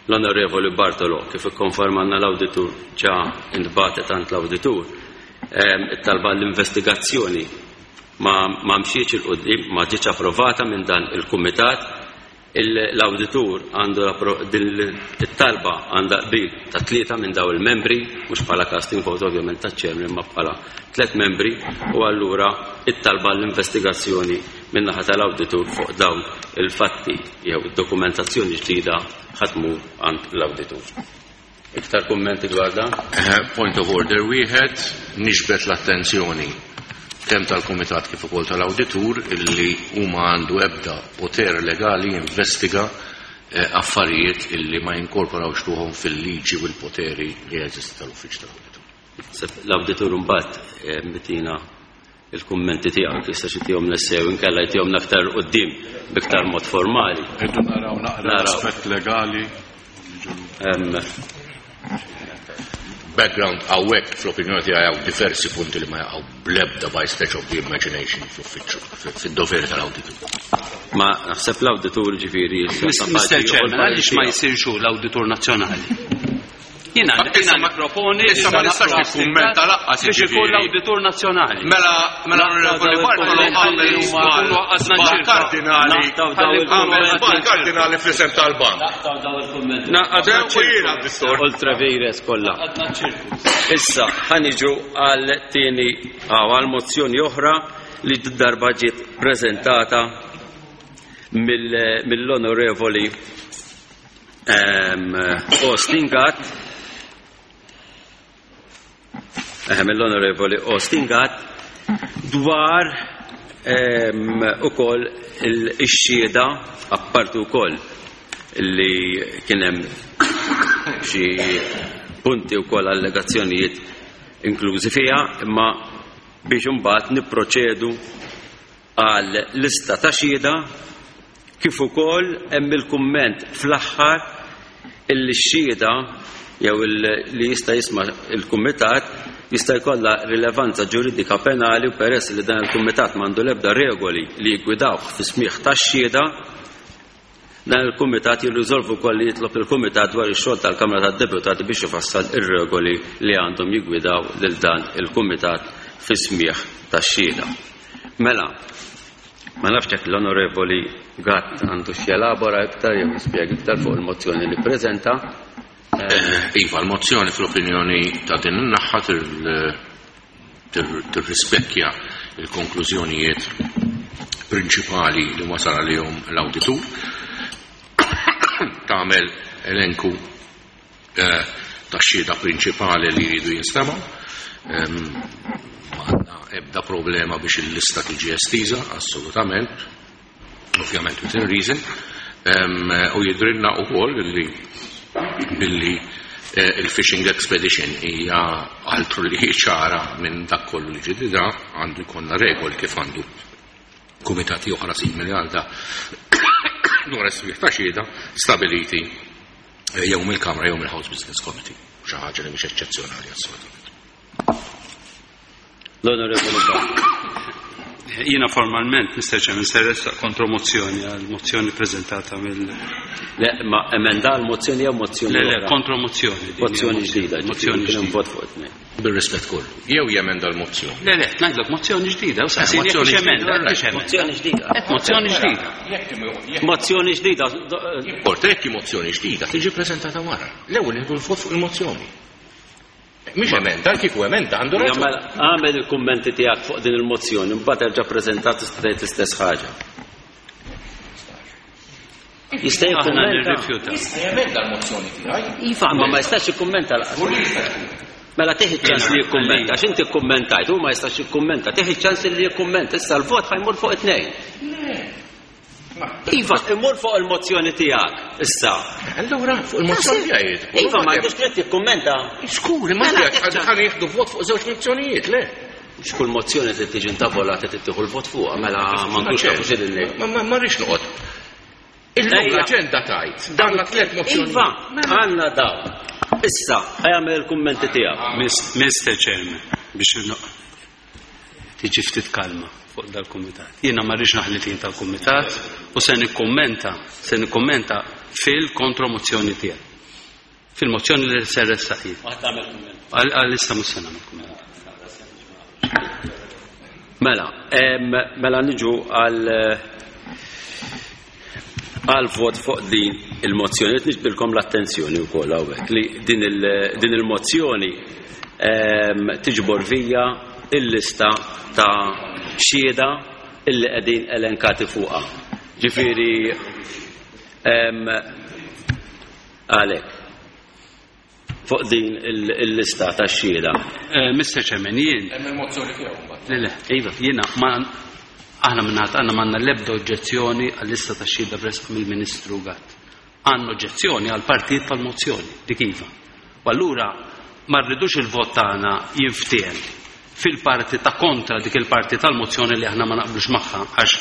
l-Onorevoli Bartolo kif ikkonfermanna l-awditur ġa intbagħtet għand l-awditur, it-talba l-investigazzjoni ma mxietx 'il quddiem, ma ġietx approvata minn dan il-kumitat. L-awditur għandu din it-talba għandha qbil ta' tlieta minn daw il-membri, mhux bħala casting vote ovvjament taċ-chairman imma bħala tliet membri, u allura it-talba l-investigazzjoni min-naħa tal-awditur fuq dawn il-fatti jew id-dokumentazzjoni ġdida ħa tmur għand l-awditur. Iktar kummenti dwar dan? Point of order wieħed, niġbed l-attenzjoni kemm tal-Kumitat kif ukoll tal-Awditur illi huma għandu ebda poter legali jinvestiga affarijiet illi ma jinkorporawx ruħhom fil-liġi u l-poteri li jeżisti tal-Uffiċċju tal-Awditur. L-Awditur mbagħad mitina il-kummenti tiegħek jista' xi tihom l-essew inkella jtihom aktar quddiem b'iktar mod formali. Irridu naraw naqra l-aspett legali. Background hawnhekk fl-opinjoni tiegħi hawn diversi punti li ma jaqgħu bl-ebda by stretch of the imagination fl-uffiċċju, fid-doveri tal-awditur. Ma naħseb l-awditur ġifieri Mr. Chairman, għaliex ma jsirx hu l-Awditur Nazzjonali? Jiena Issa ma- nipproponi issa ma nistax nikkummenta laqqas, biex ikun jiġifieri. l-Awditur Nazzjonali. Mela, mela l-Onorevoli Bartolo għamel żball żball kardinali, għamel żball kardinali fl-isem tal-bank. Naqgħadna U jiena d-distor. Ultra vires kollha. Issa ħa niġu għal tieni għal mozzjoni oħra li darba ġiet preżentata mill-Onorevoli Austin Gatt mill-Onorevoli Austin Gatt dwar ukoll ix-xhieda apparti wkoll li kien hemm xi punti wkoll allegazzjonijiet inklużi fiha, imma biex imbagħad nipproċedu għal lista ta' xhieda kif ukoll hemm il-kumment fl-aħħar illi x-xhieda jew li jista' jisma' il-kumitat jista' jkollha rilevanza ġuridika penali u peress li dan il-kumitat m'għandu l-ebda regoli li jiggwidawh fi smigħ tax-xhieda, dan il-kumitat jirriżolvu wkoll li jitlob il-kumitat dwar ix-xogħol tal-Kamra tad-Deputati biex ifassal ir-regoli li għandhom jiggwidaw lil dan il-kumitat fi smigħ tax-xhieda. Mela, ma nafx jekk l-Onorevoli Gatt għandu x'jelabora iktar jew jispjega iktar fuq il-mozzjoni li ppreżenta. Iva, l-mozzjoni fl-opinjoni ta' din in-naħa tirrispekkja il-konklużjonijiet prinċipali li wasal għalihom l-awditur. Tagħmel elenku ta' xhieda prinċipali li jridu jinstemgħu. Ma għandna ebda problema biex il-lista tiġi estiża, assolutament, ovvjament within reason. U jidrinna wkoll li billi il-fishing expedition hija altru li ċara minn dak kollu li ġidida, għandu jkollna regoli kif għandu kumitati oħra simili għal da dwar is-smigħ ta' xhieda stabiliti jew mill-Kamra jew mill-House Business Committee, xi ħaġa li mhix eċċezzjonali assolutament. L-Onorevoli Bartolo. Jiena formalment, Mr. Chairman, se ressaq kontromozzjoni għal mozzjoni preżentata mill. Le, ma emenda għal mozzjoni jew mozzjoni Le, le, kontromozzjoni. Mozzjoni ġdida, mozzjoni ġdida. Vot fuq it-tnejn. Bir-rispett kollu. Jew jemenda l-mozzjoni. Le, le, ngħidlek mozzjoni ġdida, u saqsini jekk emenda, Mozzjoni ġdida. Qed mozzjoni ġdida. Mozzjoni ġdida. Porta jekk mozzjoni ġdida tiġi preżentata wara. L-ewwel nieħdu l-vot fuq il-mozzjoni. Mhix emenda, kieku emenda għandu raġun. Għamel il-kummenti tiegħek fuq din il-mozzjoni, mbagħad erġa' preżentat tista' tgħid l-istess ħaġa. Jista' jikkummenta. Jista' jemenda l-mozzjoni tiegħi. Iva, ma ma jistax jikkummenta laqas. Mela tieħi ċans li jikkummenta, għax inti kkummentajt, hu ma jistax jikkummenta, tieħi ċans li jikkummenta, issa l-vot ħajmur fuq it-tnejn. Iva, imur fuq il-mozzjoni tiegħek, issa. Allura, fuq il-mozzjoni tiegħi. Iva, ma għandux dritt jikkummenta. Skur, ma tiegħek ħan jieħdu vot fuq żewġ mozzjonijiet, le. Mhux kull mozzjoni trid tiġi intavolata trid tieħu l-vot fuqha, mela m'għandux nafu xi din Ma ma rridx noqgħod. Illum l-aġenda tajt, dan tliet mozzjoni. Iva, għandna dawn. Issa, għamel il-kummenti tiegħek. Mr. Chairman, biex tiġi ftit kalma fuq dal-kumitat. Jiena ma rridx naħli tin tal-kumitat u se nikkummenta, se nikkummenta fil-kontromozzjoni tiegħi. Fil-mozzjoni li se ressaq jien. Għal-issa mhux se nagħmel kumment. Mela, mela niġu għal għal vot fuq din il-mozzjoni. Qed niġbilkom l-attenzjoni wkoll hawnhekk li din il-mozzjoni tiġbor vija il-lista ta' xhieda illi qegħdin elenkati fuqha. Ġifieri għalhekk fuq din il-lista ta' xhieda. Mr. Chairman, jien. Hemm il-mozzjoni tiegħu mbagħad. Le, le, iva, jiena ma aħna minn għandna m'għandna l-ebda oġġezzjoni għall-lista ta' xhieda mressqa mill-Ministru Gatt. Għandna oġġezzjoni għal partijiet tal-mozzjoni, dik iva. U allura ma rridux il-vot tagħna jinftiehem fil-parti ta' kontra dik il-parti tal-mozzjoni li aħna ma naqblux magħha għax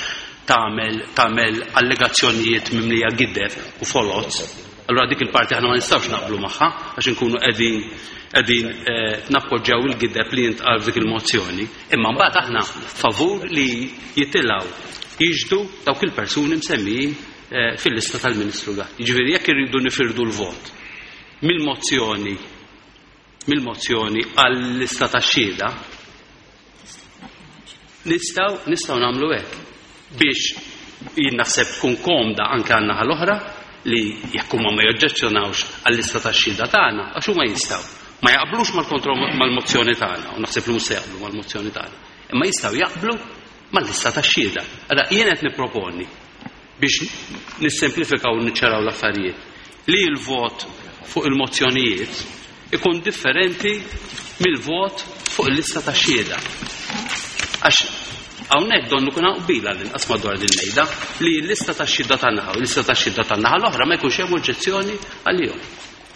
tagħmel tagħmel allegazzjonijiet mimlija gideb u foloz. Allura dik il-parti aħna ma nistgħux naqblu magħha għax inkunu qegħdin qegħdin nappoġġjaw il-gideb li jintqal f'dik il-mozzjoni. Imma mbagħad aħna favur li jitilgħu jixhdu dawk il-persuni msemmijin fil-lista tal-Ministru Gatt. Jiġifieri jekk irridu nifirdu l-vot mill-mozzjoni mill-mozzjoni għall-lista tax-xhieda, nistgħu nistgħu nagħmlu hekk biex jien naħseb tkun komda anke għan-naħa l-oħra li jekk huma ma joġġezzjonawx għall-lista tax-xhieda tagħna għax huma jistgħu ma jaqblux mal-kontro mal-mozzjoni tagħna u naħseb li mhux se jaqblu mal-mozzjoni tagħna. Imma jistgħu jaqblu mal-lista tax-xhieda. Allura jien qed nipproponi biex nissemplifikaw u niċċaraw l-affarijiet li l-vot fuq il-mozzjonijiet ikun differenti mill-vot fuq il-lista tax-xhieda. Għax hawnhekk donnu kun hawn qbil għall-inqas madwar din mejda li l-lista tax-xhieda tan-naħa u l-lista tax-xhieda tan-naħa l-oħra ma jkunx hemm oġġezzjoni għalihom.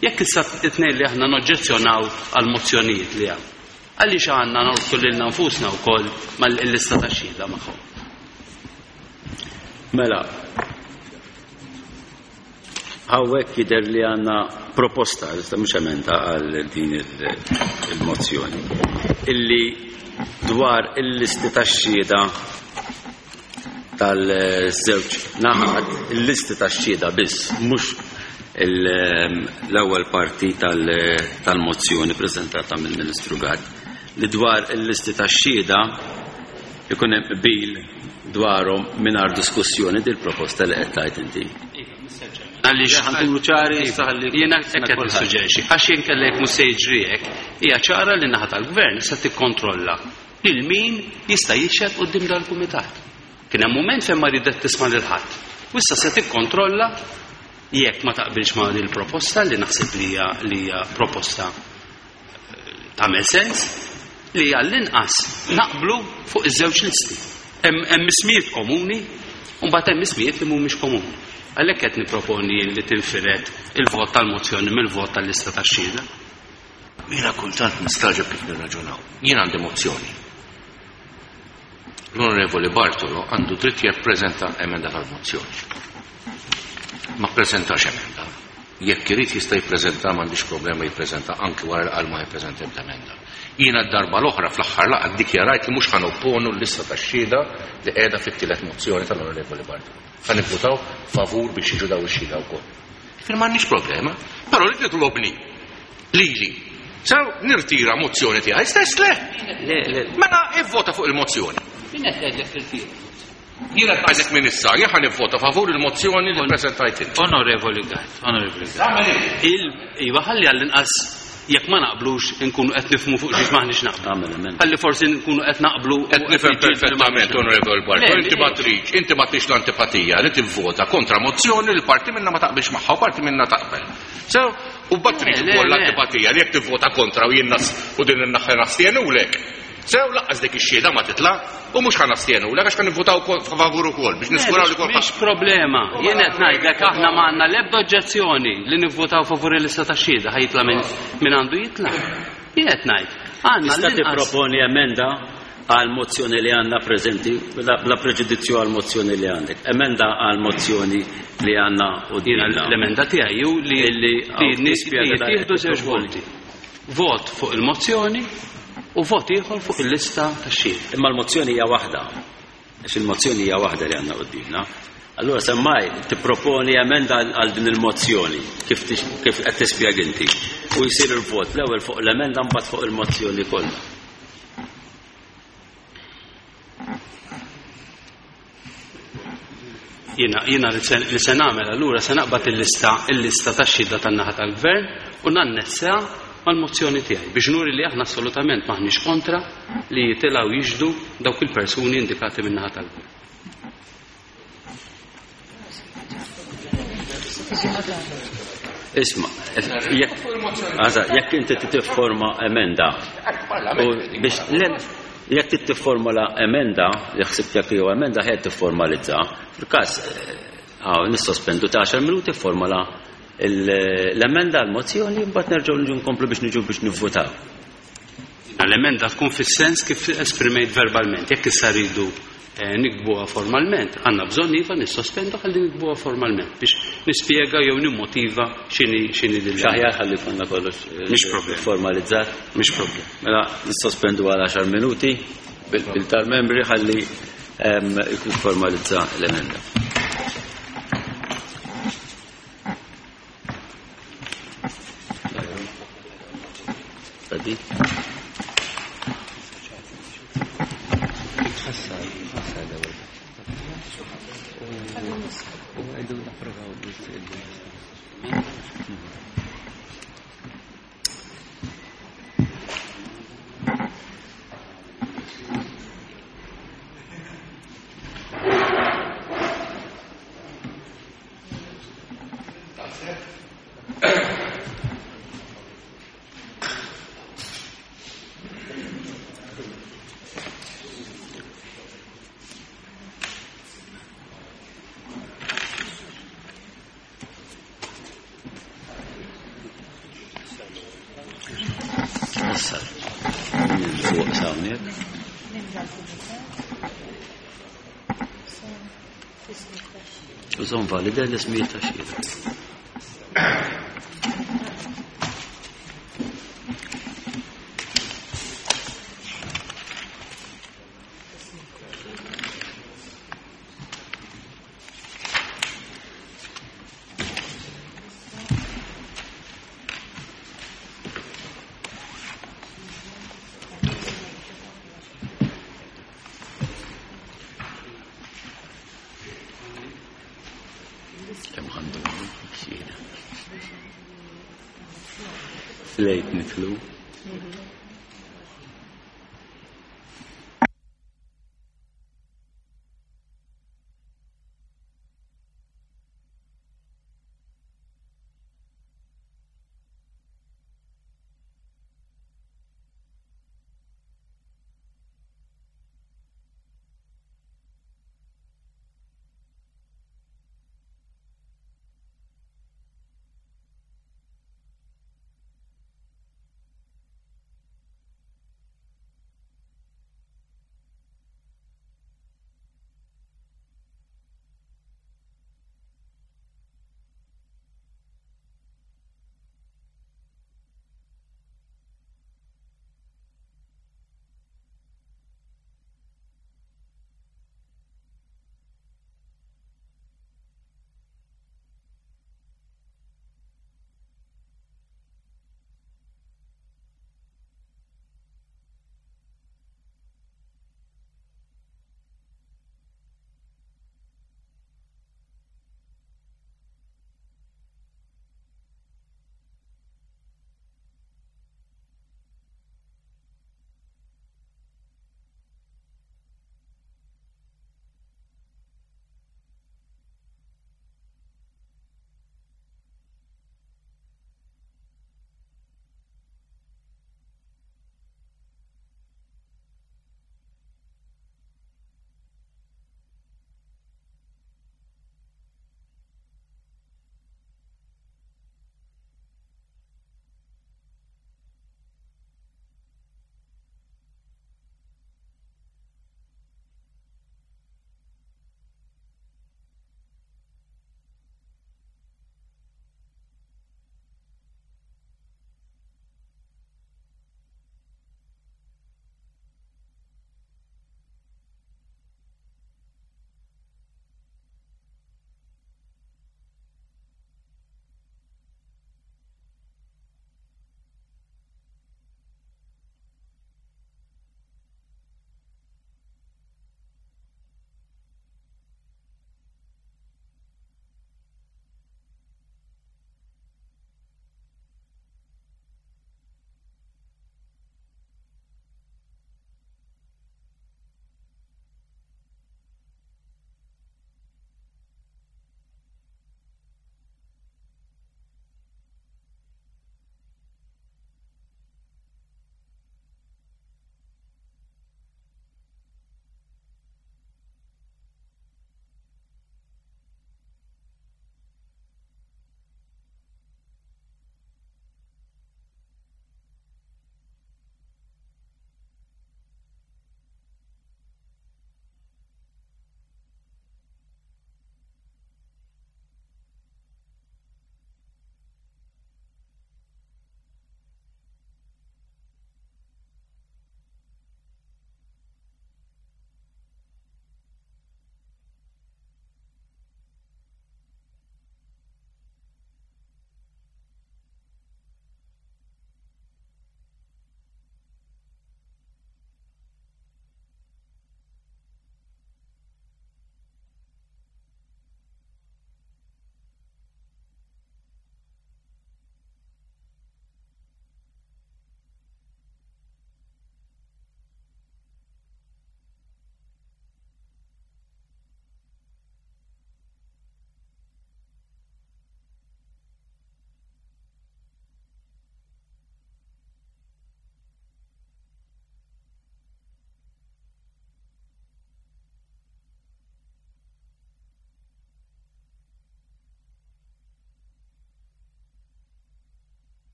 Jekk issa it-tnejn li aħna noġġezzjonaw għall-mozzjonijiet li hawn, għaliex għandna norbtu lilna nfusna wkoll mal-lista tax-xhieda magħhom? Mela, hawnhekk jidher li għandna proposta, iżda mhux emenda għal din il-mozzjoni, illi dwar il-listi tax-xhieda tal-żewġ naħat, il-listi tax-xhieda biss, mhux l-ewwel parti tal-mozzjoni preżentata mill-Ministru Gatt, li dwar il-listi tax-xhieda ikun hemm qbil dwarhom mingħajr diskussjoni din proposta li qed tgħid inti. Għaliex Ħa nkunu ċari, issa ħalli jiena hekk qed nissuġġerixxi, għax jien kellek mhux se jiġri hekk, hija ċara li naħa tal-gvern se tikkontrolla lil min jista' jixhed quddiem dal-kumitat. Kien hemm mument fejn ma ridet tisma' lil ħadd. U issa se tikkontrolla jekk ma taqbilx ma' din il-proposta li naħseb li hija li hija proposta tagħmel sens li għall-inqas naqblu fuq iż-żewġ listi. Hemm ismijiet komuni u mbagħad hemm ismijiet li mhumiex komuni. Għalhekk qed nipproponi li tinfired il-vot tal-mozzjoni mill-vot tal-lista tax-xhieda. Jiena kultant nistaġeb kif nirraġunaw. Jien għandi mozzjoni. L-Onorevoli Bartolo għandu dritt jippreżenta emenda tal-mozzjoni. Ma ppreżentax emenda. Jekk irid jista' jippreżenta m'għandix problema jippreżenta anki wara li qal ma jippreżenta ebda emenda. Jiena d-darba l-oħra fl-aħħar laqgħa ddikjarajt li mhux ħa nopponu l-lista tax-xhieda li qiegħda fit-tielet mozzjoni tal-Onorevoli Bartolo. Ħa nivvutaw favur biex jiġu daw ix-xhieda wkoll. Jiġifieri m'għandniex problema, però li titlobni lili sew nirtira mozzjoni tiegħi stess le. Le, le. Mela ivvota fuq il-mozzjoni. Min qed jgħidlek tirtira? Jiena qed ngħidlek minn issa, jien ħa nivvota favur il-mozzjoni li ppreżentajt inti. Onorevoli Gatt, Onorevoli Gatt. Il, iva ħalli għall-inqas jekk ma naqblux inkunu qed nifhmu fuq xiex maħniex naqblu. Ħalli forsi nkunu qed naqblu. Qed nifhem perfettament, Onorevoli Bartolo, inti ma tridx, inti ma tridx l-antipatija li tivvota kontra mozzjoni li parti minna ma taqbilx magħha u parti minna taqbel. So, u mbagħad trid ukoll l-antipatija li jekk tivvota kontra u jien u din in-naħa nastjenulek. Sew laqqas dik ix-xhieda ma titla' u mhux ħa nastjenulek għax ħa nivvutaw favur ukoll biex niżguraw li kulħadd. Mhix problema. Jien qed ngħidlek aħna ma għandna l-ebda oġġezzjoni li nivvutaw favur il-lista tax-xhieda ħa jitla' min għandu jitla'. Jien qed ngħid. Għandna Tista' tipproponi emenda għal mozzjoni li għandna preżenti bla preġudizzju għal mozzjoni li għandek. Emenda għal mozzjoni li għandna quddiemna. L-emenda tiegħi hu li n-nies jittieħdu żewġ voti. Vot fuq il-mozzjoni u vot ieħor fuq il-lista tax-xhieda. Imma l-mozzjoni hija waħda. Għax il-mozzjoni hija waħda li għandna quddiemna. Allura semmai tipproponi emenda għal din il-mozzjoni kif kif qed tispjega inti. U jsir il-vot l-ewwel fuq l-emenda mbagħad fuq il-mozzjoni kollha. Jiena jiena li se li se nagħmel allura se naqbad il-lista il-lista tax-xhieda tan-naħa tal-Gvern u nannessaha mal-mozzjoni tiegħi biex nuri li aħna assolutament m'aħniex kontra li jitilgħu jixhdu dawk il-persuni indikati min-naħa tal-Gvern. Isma, jekk jekk inti tifforma emenda u biex jekk tifformula emenda, li ħsibt jekk jew emenda ħed tifformalizza. Fil-każ eh, nissospendu ta' 10 minuti formola l-emenda l-mozzjoni mbagħad nerġgħu niġu nkomplu biex niġu biex nivvutaw. L-emenda tkun fis-sens kif esprimejt verbalment. Jekk issa rridu eh, nikbuha formalment, għandna bżonn iva nissospendu ħalli nikbuha formalment biex nispjega jew nimmotiva x'inhi x'inhi din. X'aħjar ħalli konna kollox eh, Mhix problem. Formalizzat. Mhix problem. Mela nissospendu għal 10 minuti bil tal-membri ħalli ehm, ikun formalizza l-emenda. Tadi. Użon valida l-ismijiet ta' xhieda. Kemm għandu xhieda. Lejt nitlu.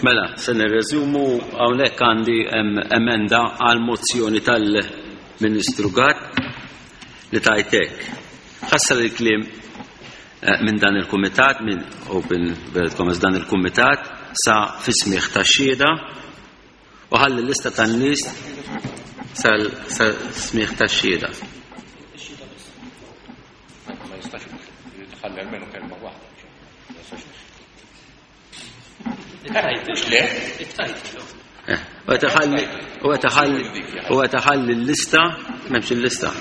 Mela, se nirreżumu hawnhekk għandi emenda għal mozzjoni tal-Ministru Gatt li tgħid hekk. Ħassar il-kliem eh, minn dan il-kumitat, minn Open World Commerce dan il-kumitat sa fi smigħ tax-xhieda u ħalli l-lista tan-nies sal-smigħ tax-xhieda. Ma jistax tħalli almenu kelma waħda. Eh, u għetaħalli l-lista, memx il-lista.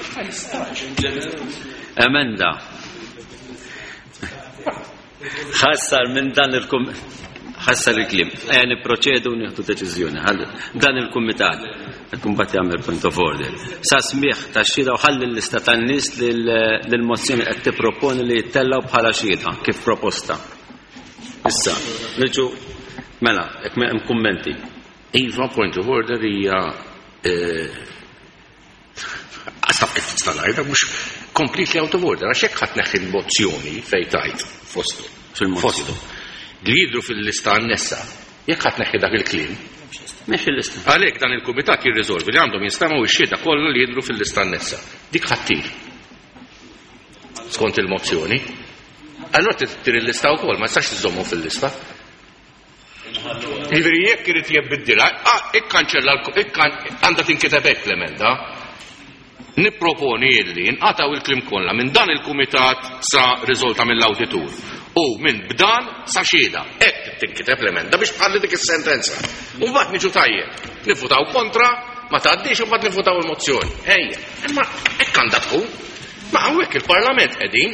Emenda. Ħassar minn dan il-kum ħassar il-klim. Ejja nipproċedu u nieħdu deċiżjoni. Dan il-kumitat qed mbagħad jagħmel point of order. Sa smigħ tax-xhieda u ħalli l-lista tan-nies li l-mozzjoni qed tipproponi li jittellgħu bħala xhieda kif proposta. Issa, niġu mela, jekk hemm kummenti. Iva, point of order hija Għasab kif tista' ngħidha mhux completely out of order, għax jekk ħadd neħħi l-mozzjoni fejn tajt fostu. Fostu. Li jidhru fil-lista annessa, jekk ħadd neħħi dak il-kliem. Neħħi l-lista. Għalhekk dan il-kumitat jirriżolvi li għandhom jinstemgħu x-xhieda kollha li jidhru fil-lista annessa. Dik ħattir. Skont il-mozzjoni. Allora tittir il-lista wkoll, ma tistax iżommu fil-lista. Jiġifieri jekk irid jibbiddilha, ah, ikkanċella għandha tinkiteb hekk l-emenda. Nipproponi illi nqatgħu il-kliem kollha minn dan il-kumitat sa riżolta mill-awditur u minn b'dan sa xhieda. Hekk tinkiteb l-emenda biex tħalli dik is-sentenza. U mbagħad niġu tajjeb. Nivvutaw kontra, ma tgħaddix u mbagħad nivvutaw il-mozzjoni. Ejja, imma hekk għandha tkun. Ma hawnhekk il-Parlament qegħdin.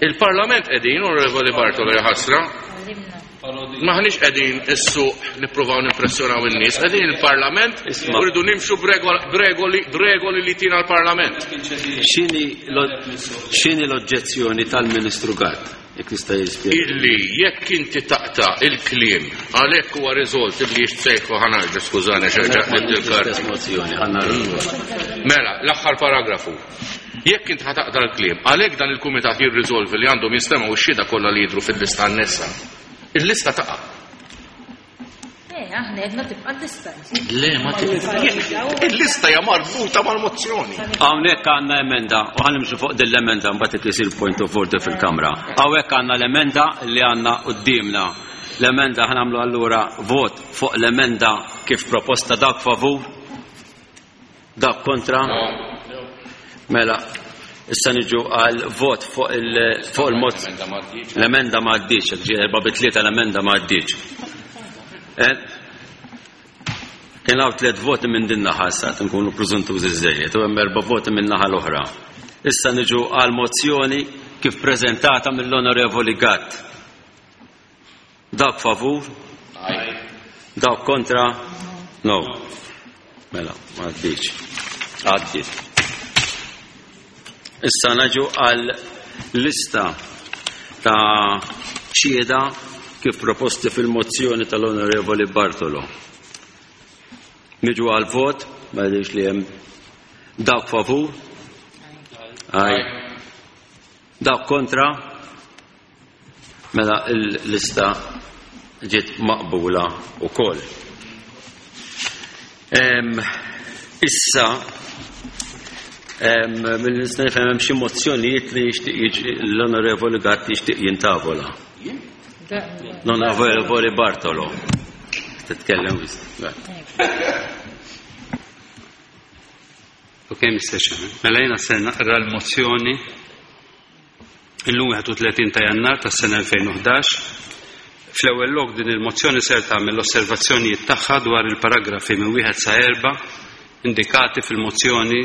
Il-Parlament qegħdin, Onorevoli Bartolo jaħasra. Maħniex qegħdin is-suq nippruvaw nimpressjonaw in-nies, qegħdin il-Parlament u rridu nimxu b'regoli li tina l-Parlament. X'inhi l-oġġezzjoni tal-Ministru Gatt? Jekk tista' jispjega. Illi jekk inti taqta' il-kliem għalhekk huwa riżolt illi jixtsejħu ħanarġa skużani xerġa' il-karti. Mela, l-aħħar paragrafu. Jekk int ħa taqta' l-kliem, għalhekk dan il-kumitat jirriżolvi li għandhom jinstemgħu x-xhieda kollha li jidhru fil-lista annessa. Il-lista taqa'. Eh, aħna għedna tibqa' l-lista. Le, ma tibqa'. Il-lista hija marbuta mal-mozzjoni. Hawnhekk għandna emenda u ħa nimxu fuq din l-emenda mbagħad isir point of order fil-Kamra. Hawnhekk għandna l-emenda li għandna quddiemna. L-emenda ħa nagħmlu allura vot fuq l-emenda kif proposta dak favur. Dak kontra? Mela, issa niġu għal vot fuq il-mod. L-emenda ma għaddiċ, ġi 4-3 l-emenda ma għaddiċ. Eh? Kien hawn tliet voti minn din naħa issa nkunu preżuntużi żejjed u hemm erba' voti minn naħa l-oħra. Issa niġu għal mozzjoni kif preżentata mill-Onorevoli Gatt. Dawk favur? Dawk kontra? No. Mela, ma għaddiċ. Għaddit. Issa naġu għal lista ta' xhieda kif proposti fil-mozzjoni tal-Onorevoli Bartolo. Niġu għal vot, ma jidhirx li hemm dawk favur? Aj. Dawk kontra? Mela l-lista ġiet maqbula wkoll. Issa mill-nista nifhem hemm xi mozzjonijiet li jixtieq l-Onorevoli Gatt jixtieq jintavola. L-Onorevoli Bartolo. Titkellem Ok, Mr. Chairman. Mela jiena ser naqra l-mozzjoni Illum 31 ta' Jannar tas-sena 2011, fl-ewwel lok din il-mozzjoni ser tagħmel l-osservazzjonijiet tagħha dwar il-paragrafi minn wieħed sa erba' indikati fil-mozzjoni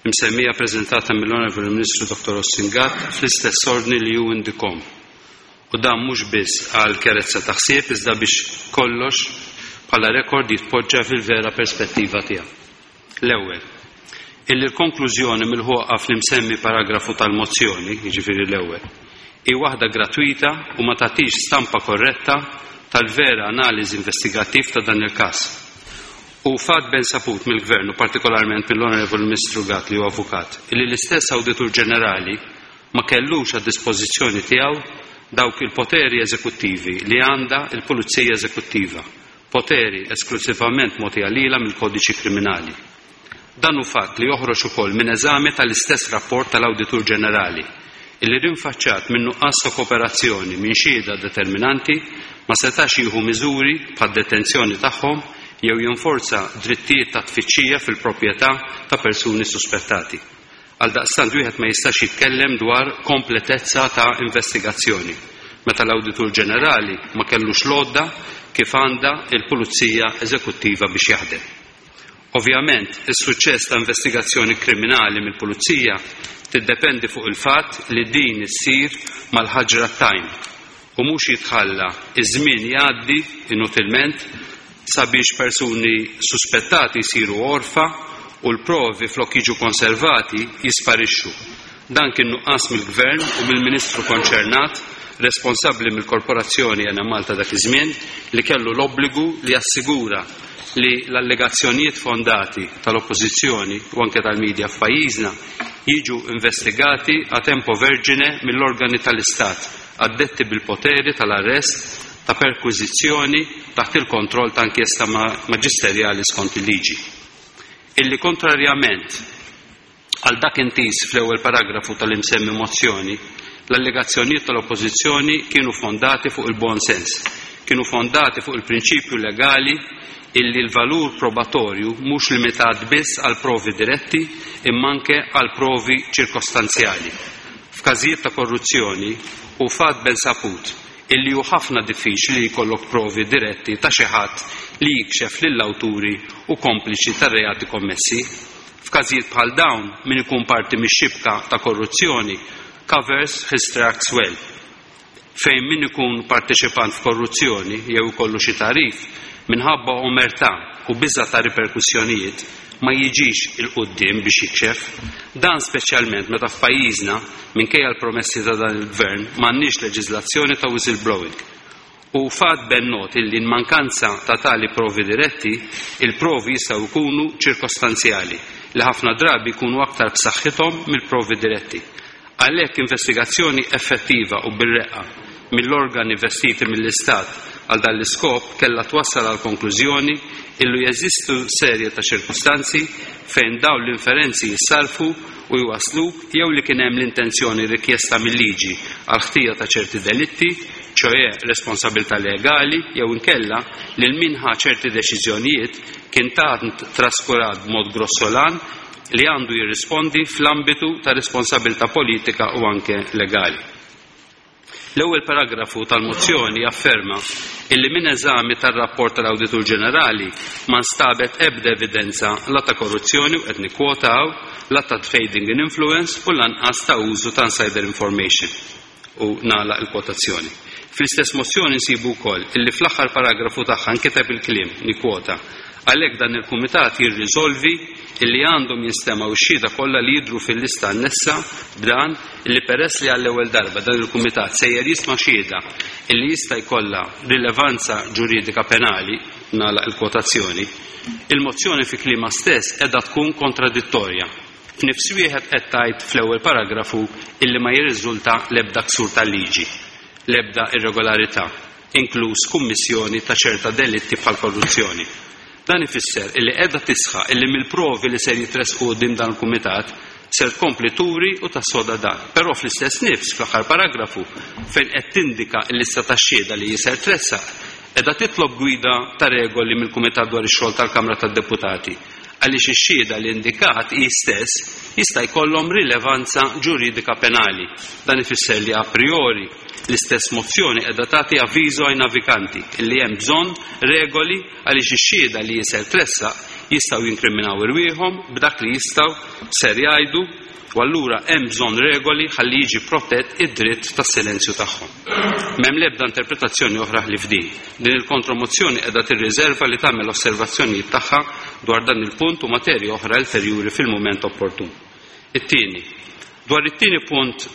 msemmija preżentata mill-Onorevoli Ministru Dottor Austin Gatt fl-istess ordni li hu indikhom. U dan mhux biss għal kjarezza ta' ħsieb iżda biex kollox bħala rekord jitpoġġa fil-vera perspettiva tiegħu. L-ewwel, illi l-konklużjoni milħuqa fl-imsemmi paragrafu tal-mozzjoni, jiġifieri l-ewwel, hi waħda gratwita u ma tagħtix stampa korretta tal-vera analiżi investigattiv ta' dan il-każ. Hu fatt ben saput mill-Gvern u partikolarment mill-Onorevoli Ministru Gatt li hu avukat, illi l-istess Awditur Ġenerali ma kellux għad-dispożizzjoni tiegħu dawk il-poteri eżekuttivi li għandha l-Pulizija Eżekuttiva, poteri esklusivament mogħtija lilha mill-Kodiċi Kriminali. Dan hu fatt li joħroġ ukoll minn eżami tal-istess rapport tal-Awditur Ġenerali, illi rinfaċċat minn nuqqas ta' kooperazzjoni minn xhieda determinanti ma setax jieħu miżuri bħad-detenzjoni tagħhom jew jinforza drittijiet ta' tfittxija fil-proprjetà ta' persuni suspettati. Għaldaqstant wieħed ma jistax jitkellem dwar kompletezza ta' investigazzjoni meta l-Awditur Ġenerali ma kellux l-għodda kif għandha l-Pulizija Eżekuttiva biex jaħdem. Ovvjament, is-suċċess ta' investigazzjoni kriminali mill-Pulizija tiddependi fuq il-fatt li din issir mal-ħaġra t-tajn u mhux jitħalla ż-żmien jgħaddi inutilment sabiex persuni suspettati jsiru għorfa u l-provi flok jiġu konservati jisparixxu. Dan kien nuqqas mill-Gvern u mill-Ministru konċernat responsabbli mill-Korporazzjoni Enemalta dak iż-żmien li kellu l-obbligu li jassigura li l-allegazzjonijiet fondati tal-Oppożizzjoni u anke tal-media f'pajjiżna jiġu investigati a tempo vergine mill-organi tal-Istat addetti bil-poteri tal-arrest, ta' perkwiżizzjoni taħt il-kontroll ta' inkjesta maġisterjali skont il-liġi. Illi kontrarjament għal dak intiż fl-ewwel paragrafu tal-imsemmi mozzjoni, l-allegazzjonijiet tal-Oppożizzjoni kienu fondati fuq il-buon sens, kienu fondati fuq il-prinċipju legali illi l-valur probatorju mhux limitat biss għal provi diretti imma anke għal provi ċirkostanzjali. F'każijiet ta' korruzzjoni hu fatt ben saput illi hu ħafna diffiċli li jkollok provi diretti ta' xi ħadd li jikxef lill-awturi u kompliċi tar-reati kommessi. F'każijiet bħal dawn min ikun parti mix-xibka ta' korruzzjoni covers his tracks well. Fejn min ikun parteċipant f'korruzzjoni jew ikollu xi tagħrif, minħabba omertà u biża' ta' riperkussjonijiet, ma jiġix 'il quddiem biex jikxef. Dan speċjalment meta f'pajjiżna, minkejja l-promessi ta' dan il-Gvern, m'għandniex leġiżlazzjoni ta' whistleblowing. Hu fatt ben not illi in mankanza ta' tali provi diretti, il-provi jistgħu jkunu ċirkostanzjali, li ħafna drabi jkunu aktar b'saħħithom mill-provi diretti. Għalhekk investigazzjoni effettiva u bir-reqqa mill-organi vestiti mill-Istat għal dan l-iskop kellha twassal għall-konklużjoni illu jeżistu serje ta' ċirkustanzi fejn dawn l-inferenzi jissarrfu u jwassluk jew li kien hemm l-intenzjoni rikjesta mil-liġi għall-ħtija ta' ċerti delitti, ċoe responsabilità legali, jew inkella lil min ħa ċerti deċiżjonijiet kien tant traskurat b'mod grossolan li għandu jirrispondi fl-ambitu ta' responsabilità politika u anke legali. L-ewwel paragrafu tal-mozzjoni jafferma illi minn eżami tar-rapport tal-Awditur Ġenerali ma nstabet ebda evidenza la ta' korruzzjoni u qed nikkwotaw, la ta' trading in influence u lanqas ta' użu ta' insider information. U nagħlaq il-kwotazzjoni. Fl-istess mozzjoni nsibu wkoll illi fl-aħħar paragrafu tagħha nkiteb il-kliem, nikkwota, Għalhekk dan il-Kumitat jirriżolvi illi għandhom jinstemgħu x-xhieda kollha li jidhru fil-lista annessa b'dan illi peress li għall-ewwel darba dan il-Kumitat sejjer jisma' xhieda illi jista' jkollha rilevanza ġuridika penali, nagħlaq il-kwotazzjoni. Il-mozzjoni fi kliemha stess qiegħda tkun kontradittorja. F'nifs wieħed qed tgħid fl-ewwel paragrafu illi ma jirriżulta l-ebda ksur tal-liġi, l-ebda irregolarità, inkluż kummissjoni ta' ċerta delitti bħall-korruzzjoni. Dan ifisser illi qiegħda tisħaq illi mill-provi li ser jitressqu quddiem dan il-Kumitat ser tkompli turi u tassoda dan. Però fl-istess nifs, fl-aħħar paragrafu, fejn qed tindika l-lista tax-xhieda li hi ser tressaq, qiegħda titlob gwida ta' regoli mill-Kumitat dwar ix-Xogħol tal-Kamra tad-Deputati għaliex ix-xhieda li indikat hi stess jista' jkollhom rilevanza ġuridika penali. Dan ifisser li a priori L-istess mozzjoni qiegħda tagħti avviżo ai naviganti illi hemm bżonn regoli għaliex ix-xhieda li hi ser tressaq jistgħu jinkriminaw irwieħhom b'dak li jistgħu ser jgħidu u allura hemm bżonn regoli ħalli jiġi protett id-dritt tas-silenzju tagħhom. M'hemm l-ebda interpretazzjoni oħra ħlief din. Din il-kontromozzjoni qiegħda tirriżerva li tagħmel osservazzjonijiet tagħha dwar dan il-punt u materji oħra ulterjuri fil-mument opportun. It-tieni, dwar it-tieni punt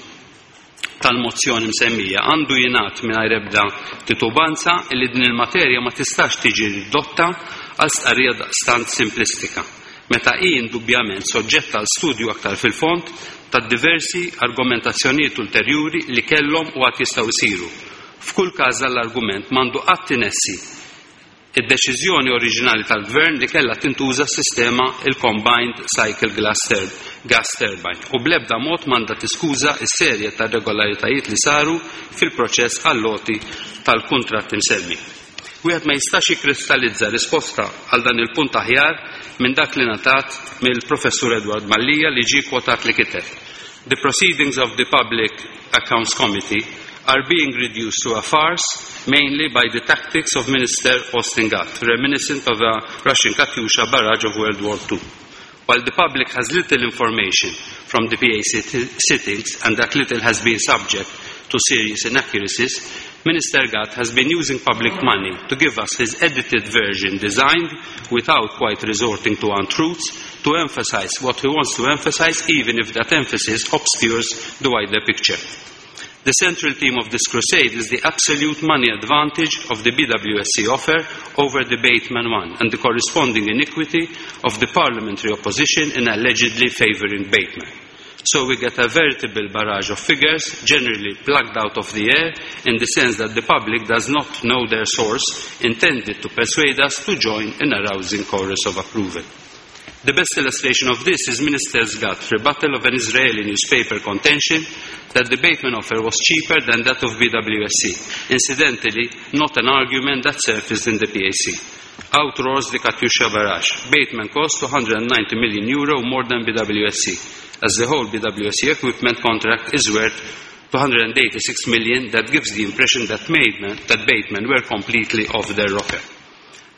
tal-mozzjoni msemmija, għandu jingħad mingħajr ebda titubanza illi din il-materja ma tistax tiġi ridotta għal stqarrija daqstant simplistika. meta hi indubbjament soġġetta għal studju aktar fil-fond tad-diversi argumentazzjonijiet ulterjuri li kellhom u għad jistgħu jsiru. F'kull każ dan l-argument m'għandu qatt inessi id-deċiżjoni oriġinali tal-Gvern li kellha tintuża s-sistema il-Combined Cycle Gas Turbine u bl-ebda mod m'għandha tiskuża s-serje ta' irregolaritajiet li saru fil-proċess għall-għoti tal-kuntratt imsemmi. Wieħed ma jistax jikkristallizza risposta għal dan il-punt aħjar minn dak li ngħatat mill-Professur Edward Mallia li ġie kwotat li kiteb, The proceedings of the Public Accounts Committee are being reduced to a farce mainly by the tactics of Minister Austin Gatt, reminiscent of a Russian Katyusha barrage of World War II. While the public has little information from the PAC sittings, and that little has been subject to serious inaccuracies, Minister Gatt has been using public money to give us his edited version designed, without quite resorting to untruths, to emphasize what he wants to emphasize, even if that emphasis obscures the wider picture. The central theme of this crusade is the absolute money advantage of the BWSC offer over the Bateman one and the corresponding iniquity of the parliamentary opposition in allegedly favouring Bateman. So we get a veritable barrage of figures, generally plucked out of the air, in the sense that the public does not know their source, intended to persuade us to join in a rousing chorus of approval. The best illustration of this is Minister Gatt rebuttal of an Israeli newspaper contention that the Bateman offer was cheaper than that of BWSC. Incidentally, not an argument that surfaced in the PAC. Out roars the Katyusha barrage. Bateman cost 290 million euro more than BWSC, as the whole BWSC equipment contract is worth 286 million. That gives the impression that Bateman were completely off their rocker.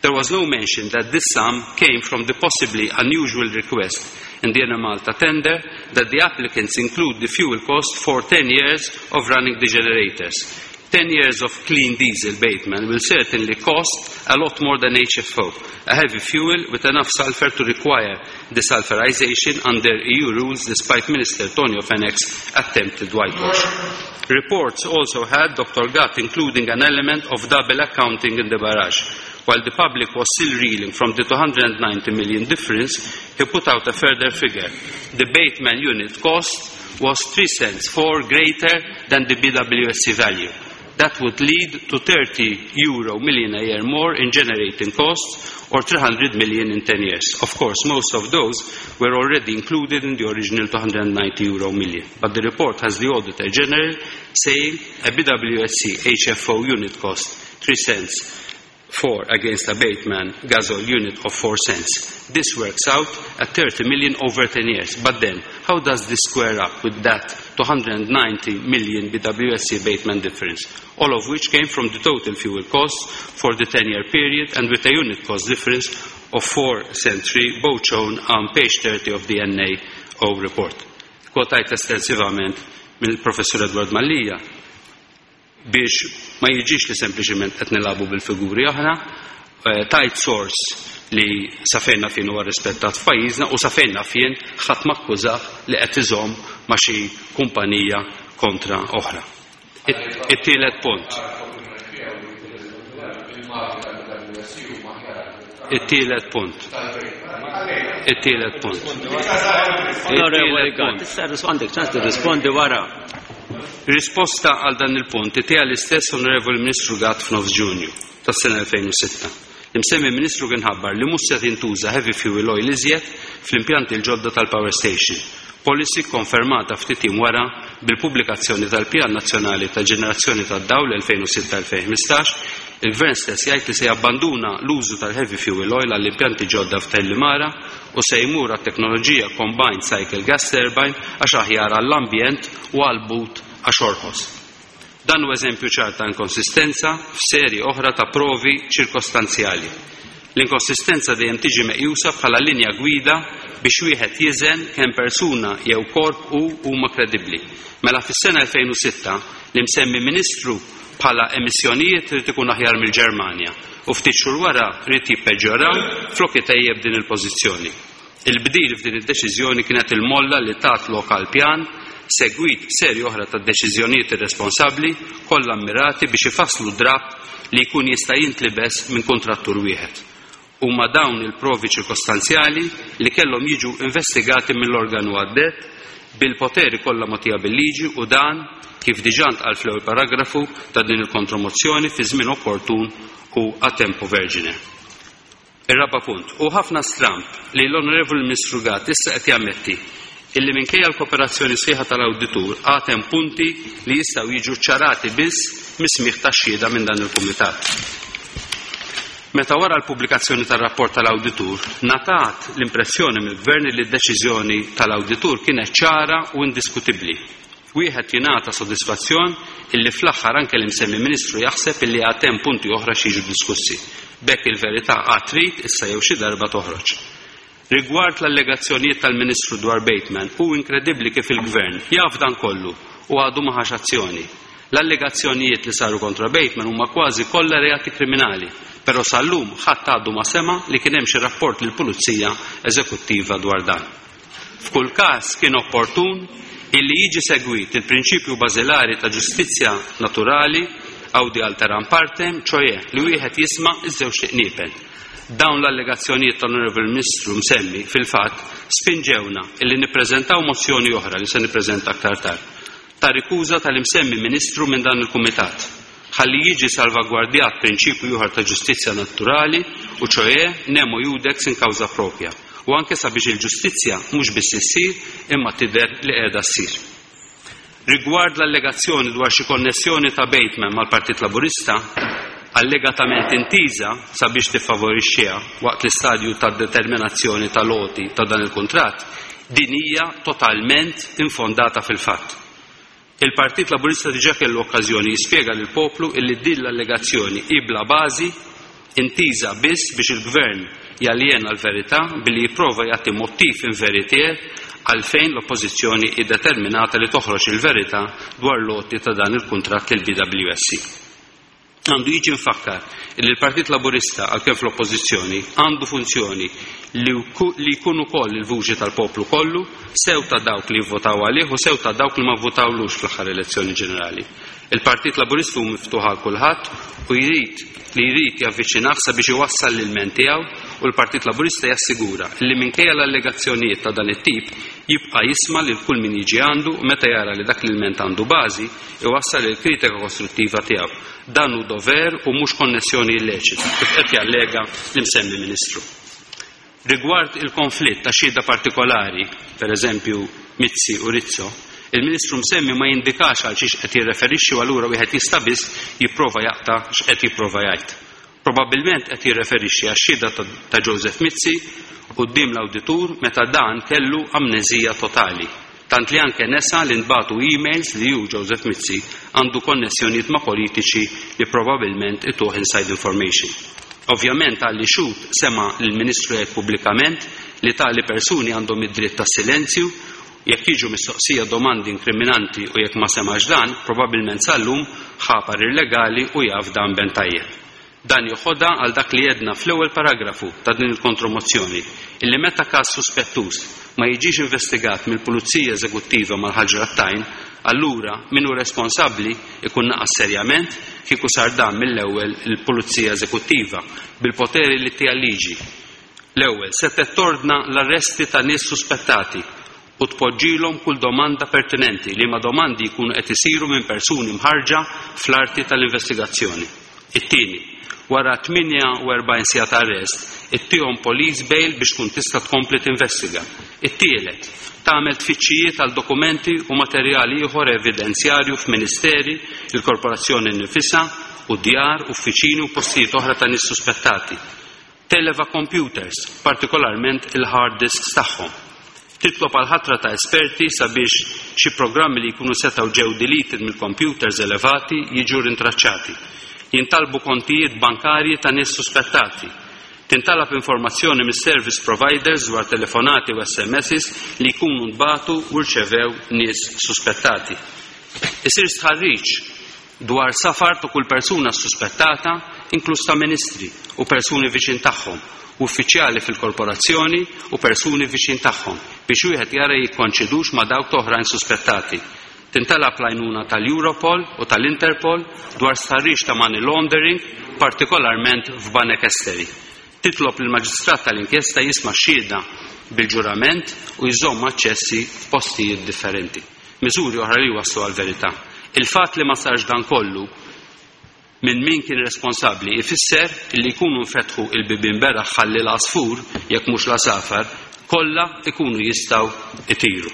There was no mention that this sum came from the possibly unusual request in the Enemalta tender that the applicants include the fuel cost for 10 years of running the generators. 10 years of clean diesel Bateman will certainly cost a lot more than HFO, a heavy fuel with enough sulfur to require desulfurization under EU rules, despite Minister Tonio Fenech's attempted whitewash. Reports also had Dr. Gatt including an element of double accounting in the barrage. While the public was still reeling from the 290 million difference, he put out a further figure. The Bateman unit cost was 3 cents 4 greater than the BWSC value. That would lead to 30 euro million a year more in generating costs, or 300 million in 10 years. Of course, most of those were already included in the original 290 euro million. But the report has the Auditor General saying a BWSC HFO unit cost 3 cents 4 against a Bateman gasoil unit of 4 cents. This works out at 30 million over 10 years. But then, how does this square up with that 290 million BWSC Bateman difference, all of which came from the total fuel cost for the 10-year period and with a unit cost difference of 4 cents 3, both shown on page 30 of the NAO report. Kwotajt estensivament mill-Professor Edward Mallia biex ma jiġix li sempliċement qed nilagħbu bil-figuri aħna, tajt source li safejna fien huwa rispettat f'pajjiżna u safejna fien ħadd makkużah li qed iżomm ma' xi kumpanija kontra oħra. It-tielet punt. It-tielet punt. It-tielet punt. Onorevoli Gatt, issa għandek ċans tirrispondi wara. Risposta għal dan il-punt tiegħi l-istess Onorevoli Ministru Gatt f'nofs Ġunju tas-sena 2006. L-imsemmi Ministru kien ħabbar li mhux se tintuża heavy fuel oil iżjed fl-impjanti l-ġodda tal-power station. Policy konfermata ftit jiem wara bil-pubblikazzjoni tal-Pjan Nazzjonali ta' Ġenerazzjoni tad-Dawl 2006-2015, il-Gvern stess jgħid li se jabbanduna l-użu tal-heavy fuel oil għall-impjanti ġodda f'Tellimara u se jmur għat-teknoloġija Combined Cycle Gas Turbine għax aħjar għall-ambjent u għall-but għax orħos. Dan hu eżempju ċar ta' inkonsistenza f'serje oħra ta' provi ċirkostanzjali. L-inkonsistenza dejjem tiġi meqjusa bħala linja gwida biex wieħed jiżen kemm persuna jew korp hu huma kredibbli. Mela fis-sena 2006 l-imsemmi Ministru bħala emissjonijiet irid ikun aħjar mill-Ġermanja u ftit xhur wara rrid jippeġġoraw flok itejjeb din il-pożizzjoni. Il-bdil f'din id-deċiżjoni kienet il-molla li tat lok għal pjan segwit b'serje oħra ta' deċiżjonijiet irresponsabbli kollha mmirati biex ifasslu drapp li jkun jista' jintlibes minn kuntrattur wieħed. Huma dawn il-provi ċirkostanzjali li kellhom jiġu investigati mill-organu addett bil-poteri kollha mogħtija bil-liġi u dan, kif diġà ntqal fl-ewwel paragrafu ta' din il-kontromozzjoni, fi żmien opportun u a tempo vergine. Ir-raba' punt. Hu ħafna stramb li l-Onorevoli Ministru Gatt issa qed jammetti illi minkejja l-koperazzjoni sħiħa tal-awditur għad hemm punti li jistgħu jiġu ċċarati biss mis-smigħ tax-xhieda minn dan il-kumitat. Meta wara l-pubblikazzjoni tar-rapport tal-awditur ngħatat l-impressjoni mill-Gvern li d-deċiżjoni tal-awditur kienet ċara u indiskutibbli. Wieħed jingħata sodisfazzjon illi fl-aħħar anke l-imsemmi Ministru jaħseb illi għad hemm punti oħra x'jiġu diskussi. B'hekk il-verità għad trid issa jew xi darba toħroġ. Rigward l-allegazzjonijiet tal-Ministru dwar Bateman, hu inkredibbli kif il-Gvern jaf dan kollu u għadu ma ħax azzjoni. L-allegazzjonijiet li saru kontra Bateman huma kważi kollha reati kriminali, però sal-lum ħadd għadu ma sema' li kien hemm xi rapport lill-Pulizija Eżekuttiva dwar dan. F'kull każ kien opportun illi jiġi segwit il-prinċipju bażilari ta' ġustizzja naturali, audi alteram partem, ċoe li wieħed jisma' ż-żewġt iqniepen. Dawn l-allegazzjonijiet tal-Onorevoli Ministru msemmi, fil-fatt, spinġewna illi nippreżentaw mozzjoni oħra li se nippreżenta aktar tard, ta' rikuża tal-imsemmi Ministru minn dan il-Kumitat, ħalli jiġi salvagwardjat prinċipju ieħor ta' ġustizzja naturali u ċoe nemo iudex in causa propria, u anke sabiex il-ġustizzja mhux biss issir imma tidher li qiegħda ssir. Rigward l-allegazzjoni dwar xi konnessjoni ta' Bateman mal-Partit Laburista, allegatament intiża sabiex tiffavorixxiha waqt l-istadju tad-determinazzjoni tal-għoti ta' dan il-kuntratt, din hija totalment infondata fil-fatt. Il-Partit Laburista diġà kellu okkażjoni jispjega lill-poplu illi din l-allegazzjoni hi bla bażi, intiża biss biex il-Gvern jaljena l-verità billi jipprova jagħti mottiv inveritier għalfejn l-Oppożizzjoni hi determinata li toħroġ il-verità dwar l-għoti ta' dan il-kuntratt lill-BWSC. Għandu jiġi mfakkar li l-Partit Laburista, għalkemm fl-Oppożizzjoni, għandu funzjoni li li jkun ukoll il-vuċi tal-poplu kollu, sew ta' dawk li vvotaw għalih u sew ta' dawk li ma vvotawlux fl-aħħar elezzjoni ġenerali. Il-Partit Laburista hu miftuħ għal kulħadd u jrid li jrid javviċinah sabiex iwassal l-ilment tiegħu u l-Partit Laburista jassigura li minkejja l-allegazzjonijiet ta' dan it-tip jibqa' jisma' lil kull min jiġi għandu u meta jara li dak l-ilment għandu bażi iwassal il-kritika kostruttiva tiegħu. Dan hu dover u mhux konnessjoni illeċita, kif qed jallega l-imsemmi Ministru. Rigward il-konflitt ta' xhieda partikolari, per eżempju Mizzi u Rizzo, il-Ministru msemmi ma jindikax għal xiex qed jirreferixxi u allura wieħed jista' biss jipprova jaqta' x'qed jipprova jgħid. Probabbilment qed jirreferixxi għax-xhieda ta' Joseph Mizzi quddiem l-awditur meta dan kellu amneżija totali, tant li anke nesa li ntbagħtu emails li hu, Joseph Mizzi, għandu konnessjonijiet ma' politiċi li probabbilment ituh inside information. Ovvjament għalli xhud sema' lill-Ministru jgħid pubblikament li tali persuni għandhom id-dritt tas-silenzju jekk jiġu mistoqsija domandi inkriminanti u jekk ma semax dan, probabbilment sal-lum ħa parir legali u jaf dan ben tajjeb. Dan joħodha għal dak li għedna fl-ewwel paragrafu ta' din il-kontromozzjoni, illi meta każ suspettuż ma jiġix investigat mill-Pulizija Eżekuttiva mal-ħaġra t-tajn, allura min hu responsabbli ikun naqas serjament kieku sar dan mill-ewwel il-Pulizija Eżekuttiva bil-poteri li ttiha l-liġi. L-ewwel, setgħet tordna l-arresti ta' nies suspettati u tpoġġilhom kull domanda pertinenti, liema domandi jkunu qed isiru minn persuni mħarrġa fl-arti tal-investigazzjoni. It-tieni, wara 48 siegħa ta' arrest, ittihom police bail biex tkun tista' tkompli tinvestiga. It-tielet, tagħmel tfittxijiet għal dokumenti u materjal ieħor evidenzjarju f'ministeri, il-korporazzjoni nnifisha, u djar, uffiċini u postijiet oħra ta' nies suspettati. Televa computers, partikolarment il-hard disks tagħhom. Titlob għall-ħatra ta' esperti sabiex xi programmi li jkunu setgħu ġew deleted mill-computers elevati jiġu rintraċċati. Jintalbu kontijiet bankarji ta' nies suspettati. Tintalab informazzjoni mis-service providers dwar telefonati u SMSs li jkunu ntbagħtu u rċevew nies suspettati. Isir stħarriġ dwar safar ta' kull persuna ssuspettata, inkluż ta' ministri u persuni viċin tagħhom, u uffiċjali fil-korporazzjoni u persuni viċin tagħhom, biex wieħed jara jikkoinċidux ma' dawk ta' oħrajn suspettati. Tintalab l-għajnuna tal-Europol u tal-Interpol dwar stħarriġ ta' money laundering, partikolarment f'banek esteri. Titlob lill-Maġistrat tal-inkjesta jisma' x-xhieda bil-ġurament u jżomm aċċessi f'postijiet differenti. Miżuri oħra li jwasslu għall-verità. Il-fatt li ma sarx dan kollu minn min kien responsabbli ifisser illi jkunu nfetħu il-bibien beraħ ħalli l-għasfur, jekk mhux l-għasafar, kollha jkunu jistgħu jtiru.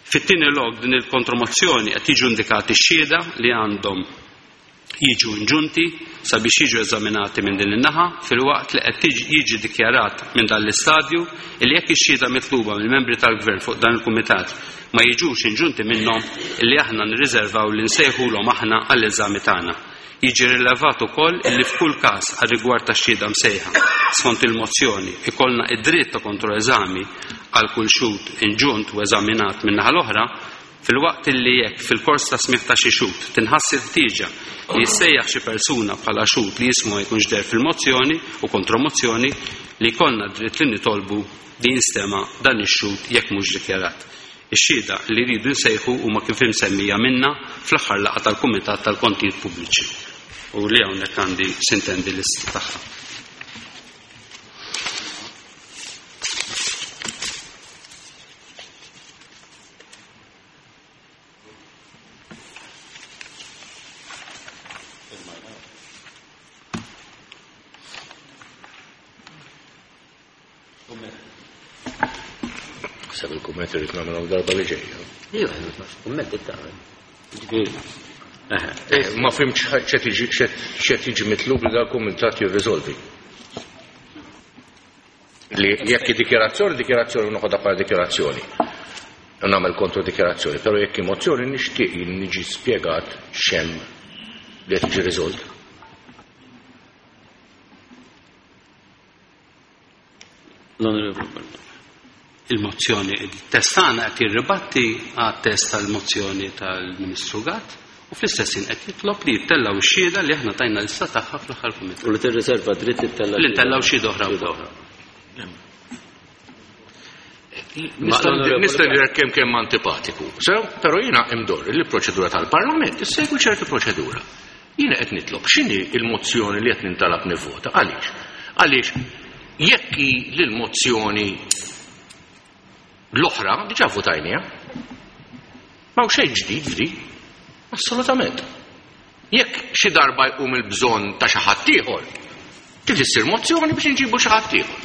Fit-tieni lok din il-kontromozzjoni qed jiġu indikati x-xhieda li għandhom jiġu inġunti sabiex jiġu eżaminati minn din in-naħa filwaqt li qed jiġi dikjarat minn dan l-istadju illi jekk ix-xhieda mitluba mill-membri tal-Gvern fuq dan il-Kumitat ma jiġux inġunti minnhom illi aħna nirriżervaw li nsejħulhom aħna għall-eżami tagħna. Jiġi rilevat ukoll illi f'kull każ għar-rigward tax-xhieda msejħa skont il-mozzjoni ikollna id-dritt ta' kontroeżami għal kull xhud inġunt u eżaminat min-naħa l-oħra Filwaqt illi jekk fil-kors ta' smigħ ta' xi xhud tinħass il-ħtieġa li jissejjaħ xi persuna bħala xhud li ismu ma jkunx deher fil-mozzjoni u kontromozzjoni, li jkollna d-dritt li nitolbu li jinstema' dan ix-xhud jekk mhux dikjarat. Ix-xhieda li rridu nsejħu huma kif imsemmija minna fl-aħħar laqgħa tal-Kumitat tal-Kontijiet Pubbliċi u li hawnhekk għandi sintendi lista tagħha. Sab il-kumment irrid nagħmilhom darba li ġejja. Iva, kumment tagħmel. Eh, ma fimx x'qed jiġi mitlub li dal-kumitat jirriżolvi. Li jekk dikjarazzjoni, dikjarazzjoni noħodha bħala dikjarazzjoni. Nagħmel kontro dikjarazzjoni, però jekk mozzjoni nixtieq niġi spjegat x'hemm li qed jiġi riżolt. L-Onorevoli Il-mozzjoni, il-test tagħna qed jirribatti għat-test tal-mozzjoni tal-Ministru Gatt u fl-istess ħin qed jitlob li jittellgħu x-xhieda li aħna tajna lista tagħha fl-aħħar kumitat. U li tirriserva dritt tittella' Li ntellgħu xhieda oħra wkoll. Nista' nidher kemm kemm antipatiku, sew, però jiena imdorri li l-proċedura tal-Parlament issegwi ċertu proċedura. Jiena qed nitlob x'inhi l-mozzjoni li qed nintalab nivvota. Għaliex? Għaliex jekk hi l-mozzjoni l-oħra diġà votajniha. Ma hawn xejn ġdid f'di. Assolutament. Jekk xi darba jqum il-bżonn ta' xi ħadd ieħor, trid issir mozzjoni biex inġibu xi ħadd ieħor.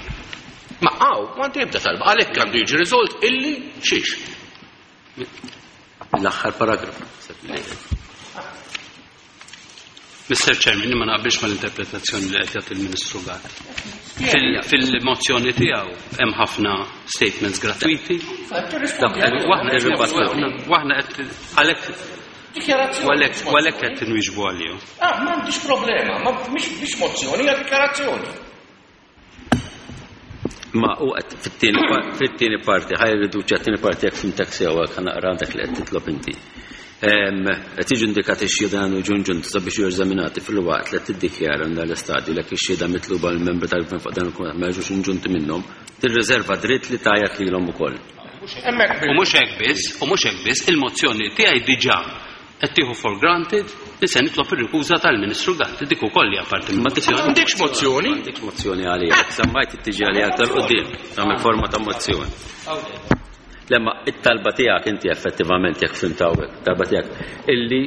Ma hawn m'għandi ebda talba għalhekk għandu jiġi riżolt illi xiex. L-aħħar paragrafu. Mr. Chairman, ma naqbilx mal-interpretazzjoni li qed jagħti il-Ministru Gatt. Fil-mozzjoni tiegħu hemm ħafna statements gratuiti. Waħna qed għalhekk għalhekk qed inwieġbu għalihom. Ah, m'għandix problema, ma mhix mozzjoni, hija dikjarazzjoni. Ma u qed fit-tieni parti, ħaj riduċi għat-tieni parti jekk fimtek sew hekk naqra dak li qed titlob inti. Qed jiġu indikati x-xhieda għandu jiġu inġunti sabiex jiġu eżaminati filwaqt li qed tiddikjara minn dan l-istadju li jekk ix-xhieda mitluba mill-membri tal-Gvern fuq dan il-kumitat ma jiġux inġunti minnhom, tirriżerva dritt li tgħajjat lilhom ukoll. U mhux hekk biss, u mhux hekk biss, il-mozzjoni tiegħi diġà qed tieħu for granted li se nitlob ir-rikuża tal-Ministru Gatt, dik ukoll hija parti mill-mozzjoni. M'għandekx mozzjoni? M'għandekx mozzjoni għalija, semmajt tiġi għalija aktar quddiem, tagħmel forma ta' mozzjoni. Lemma it-talba tiegħek inti effettivament jekk fhimt hawnhekk, talba tiegħek illi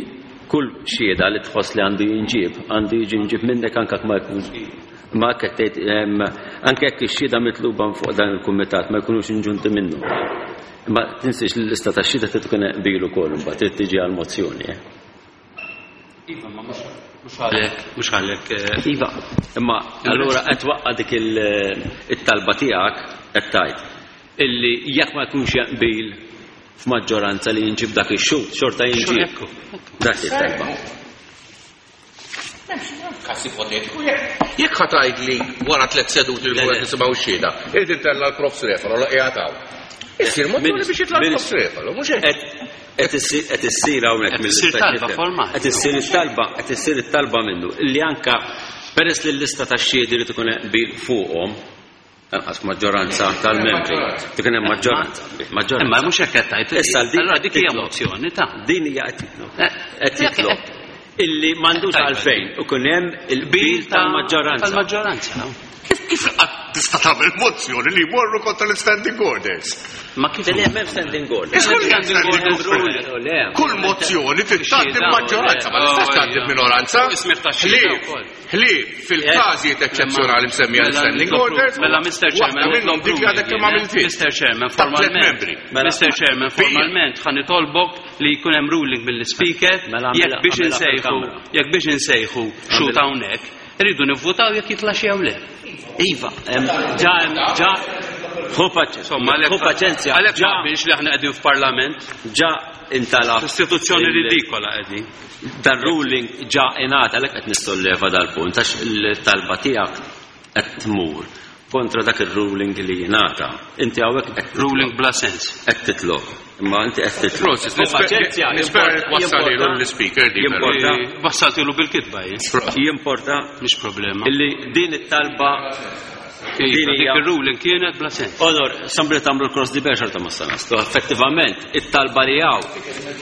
kull xhieda li tħoss li għandu jinġieb, għandu jiġi jinġieb minnek anke ma jkunx ma tgħid anke jekk ix-xhieda mitluba fuq dan il-kumitat ma jkunux inġunti minnu. Imma tinsiex li l-lista tax-xhieda trid tkun qbil ukoll imbagħad trid tiġi għall-mozzjoni. Eh? Iva, ma mhux għalhekk, mhux għalhekk. Eh. Iva, imma allura qed waqqa dik it-talba tiegħek qed tgħid illi jekk ma jkunx jaqbil f'maġġoranza li jinġib dak ix-xhud, xorta jinġib. Dak it-talba. Każ ipotetiku jekk ħa tgħidli wara tliet seduti li qed nisimgħu x-xhieda, irid intella' l-Profs Refalo la qiegħed hawn. Issir mozzjoni biex jitla' l-Profs Refalo, mhux hekk. Qed issir hawnhekk mill Issir talba formali. Qed issir it-talba, qed issir it-talba minnu li anka peress li l-lista tax-xhiedi li tkun qbil fuqhom, Lanqas maġġoranza tal-membri. Dik hemm maġġoranza. Maġġoranza. Imma mhux hekk qed tgħid. Issa din Allura dik hija mozzjoni ta' Din hija qed titlob. Qed titlob illi m'għandux għalfejn ikun hemm il-qbil tal-maġġoranza. Tal-maġġoranza. Kif kif qatt tista' tagħmel mozzjoni li jmorru kontra l-standing orders? Ma kif Le, m'hemm standing order. Iżgur li hemm standing order. Kull mozzjoni trid tgħaddi b'maġġoranza, ma tistax tgħaddi b'minoranza. Ħlief, ħlief fil-każijiet eċċezzjonali msemmija l-standing orders. Mela Mr. Chairman, waħda minnhom dik li għadek kemm għamilt int. Mr. Chairman, Ta' tliet formalment. membri. Mr. Chairman, formalment ħa nitolbok li jkun hemm ruling mill-speaker Mela, jekk biex għamilha insejħu fil-kamra. jekk biex insejħu xut hawnhekk, irridu nivvutaw jekk jitla' xi jew le. Iva, ġa, ġa, ħu paċenzja. Insomma, Ħu paċenzja. Għalhekk Ġa, ma qbilx li aħna qegħdin f'parlament, ġa intalab. istituzzjoni ridikola qegħdin. Dan ruling ġa ingħata għalhekk qed nistolleva dal-punt għax il-talba tiegħek qed tmur kontra dak ir-ruling li jingħata. Inti hawnhekk qed Ruling bla sens. qed titlob. Imma inti qed titlob. Prosit, Ħu paċenzja, nispera jimporta- wassalilu l-speaker di. però. Jimporta. Wassaltilu bil-kitba jien. Jimporta Mhix problema. illi din it-talba Iva, din dik hija ir-ruling kienet bla sens. Onor, sambri tamlu l-cross di bear xorta ma sanastu. Effettivament, it-talba li hawn,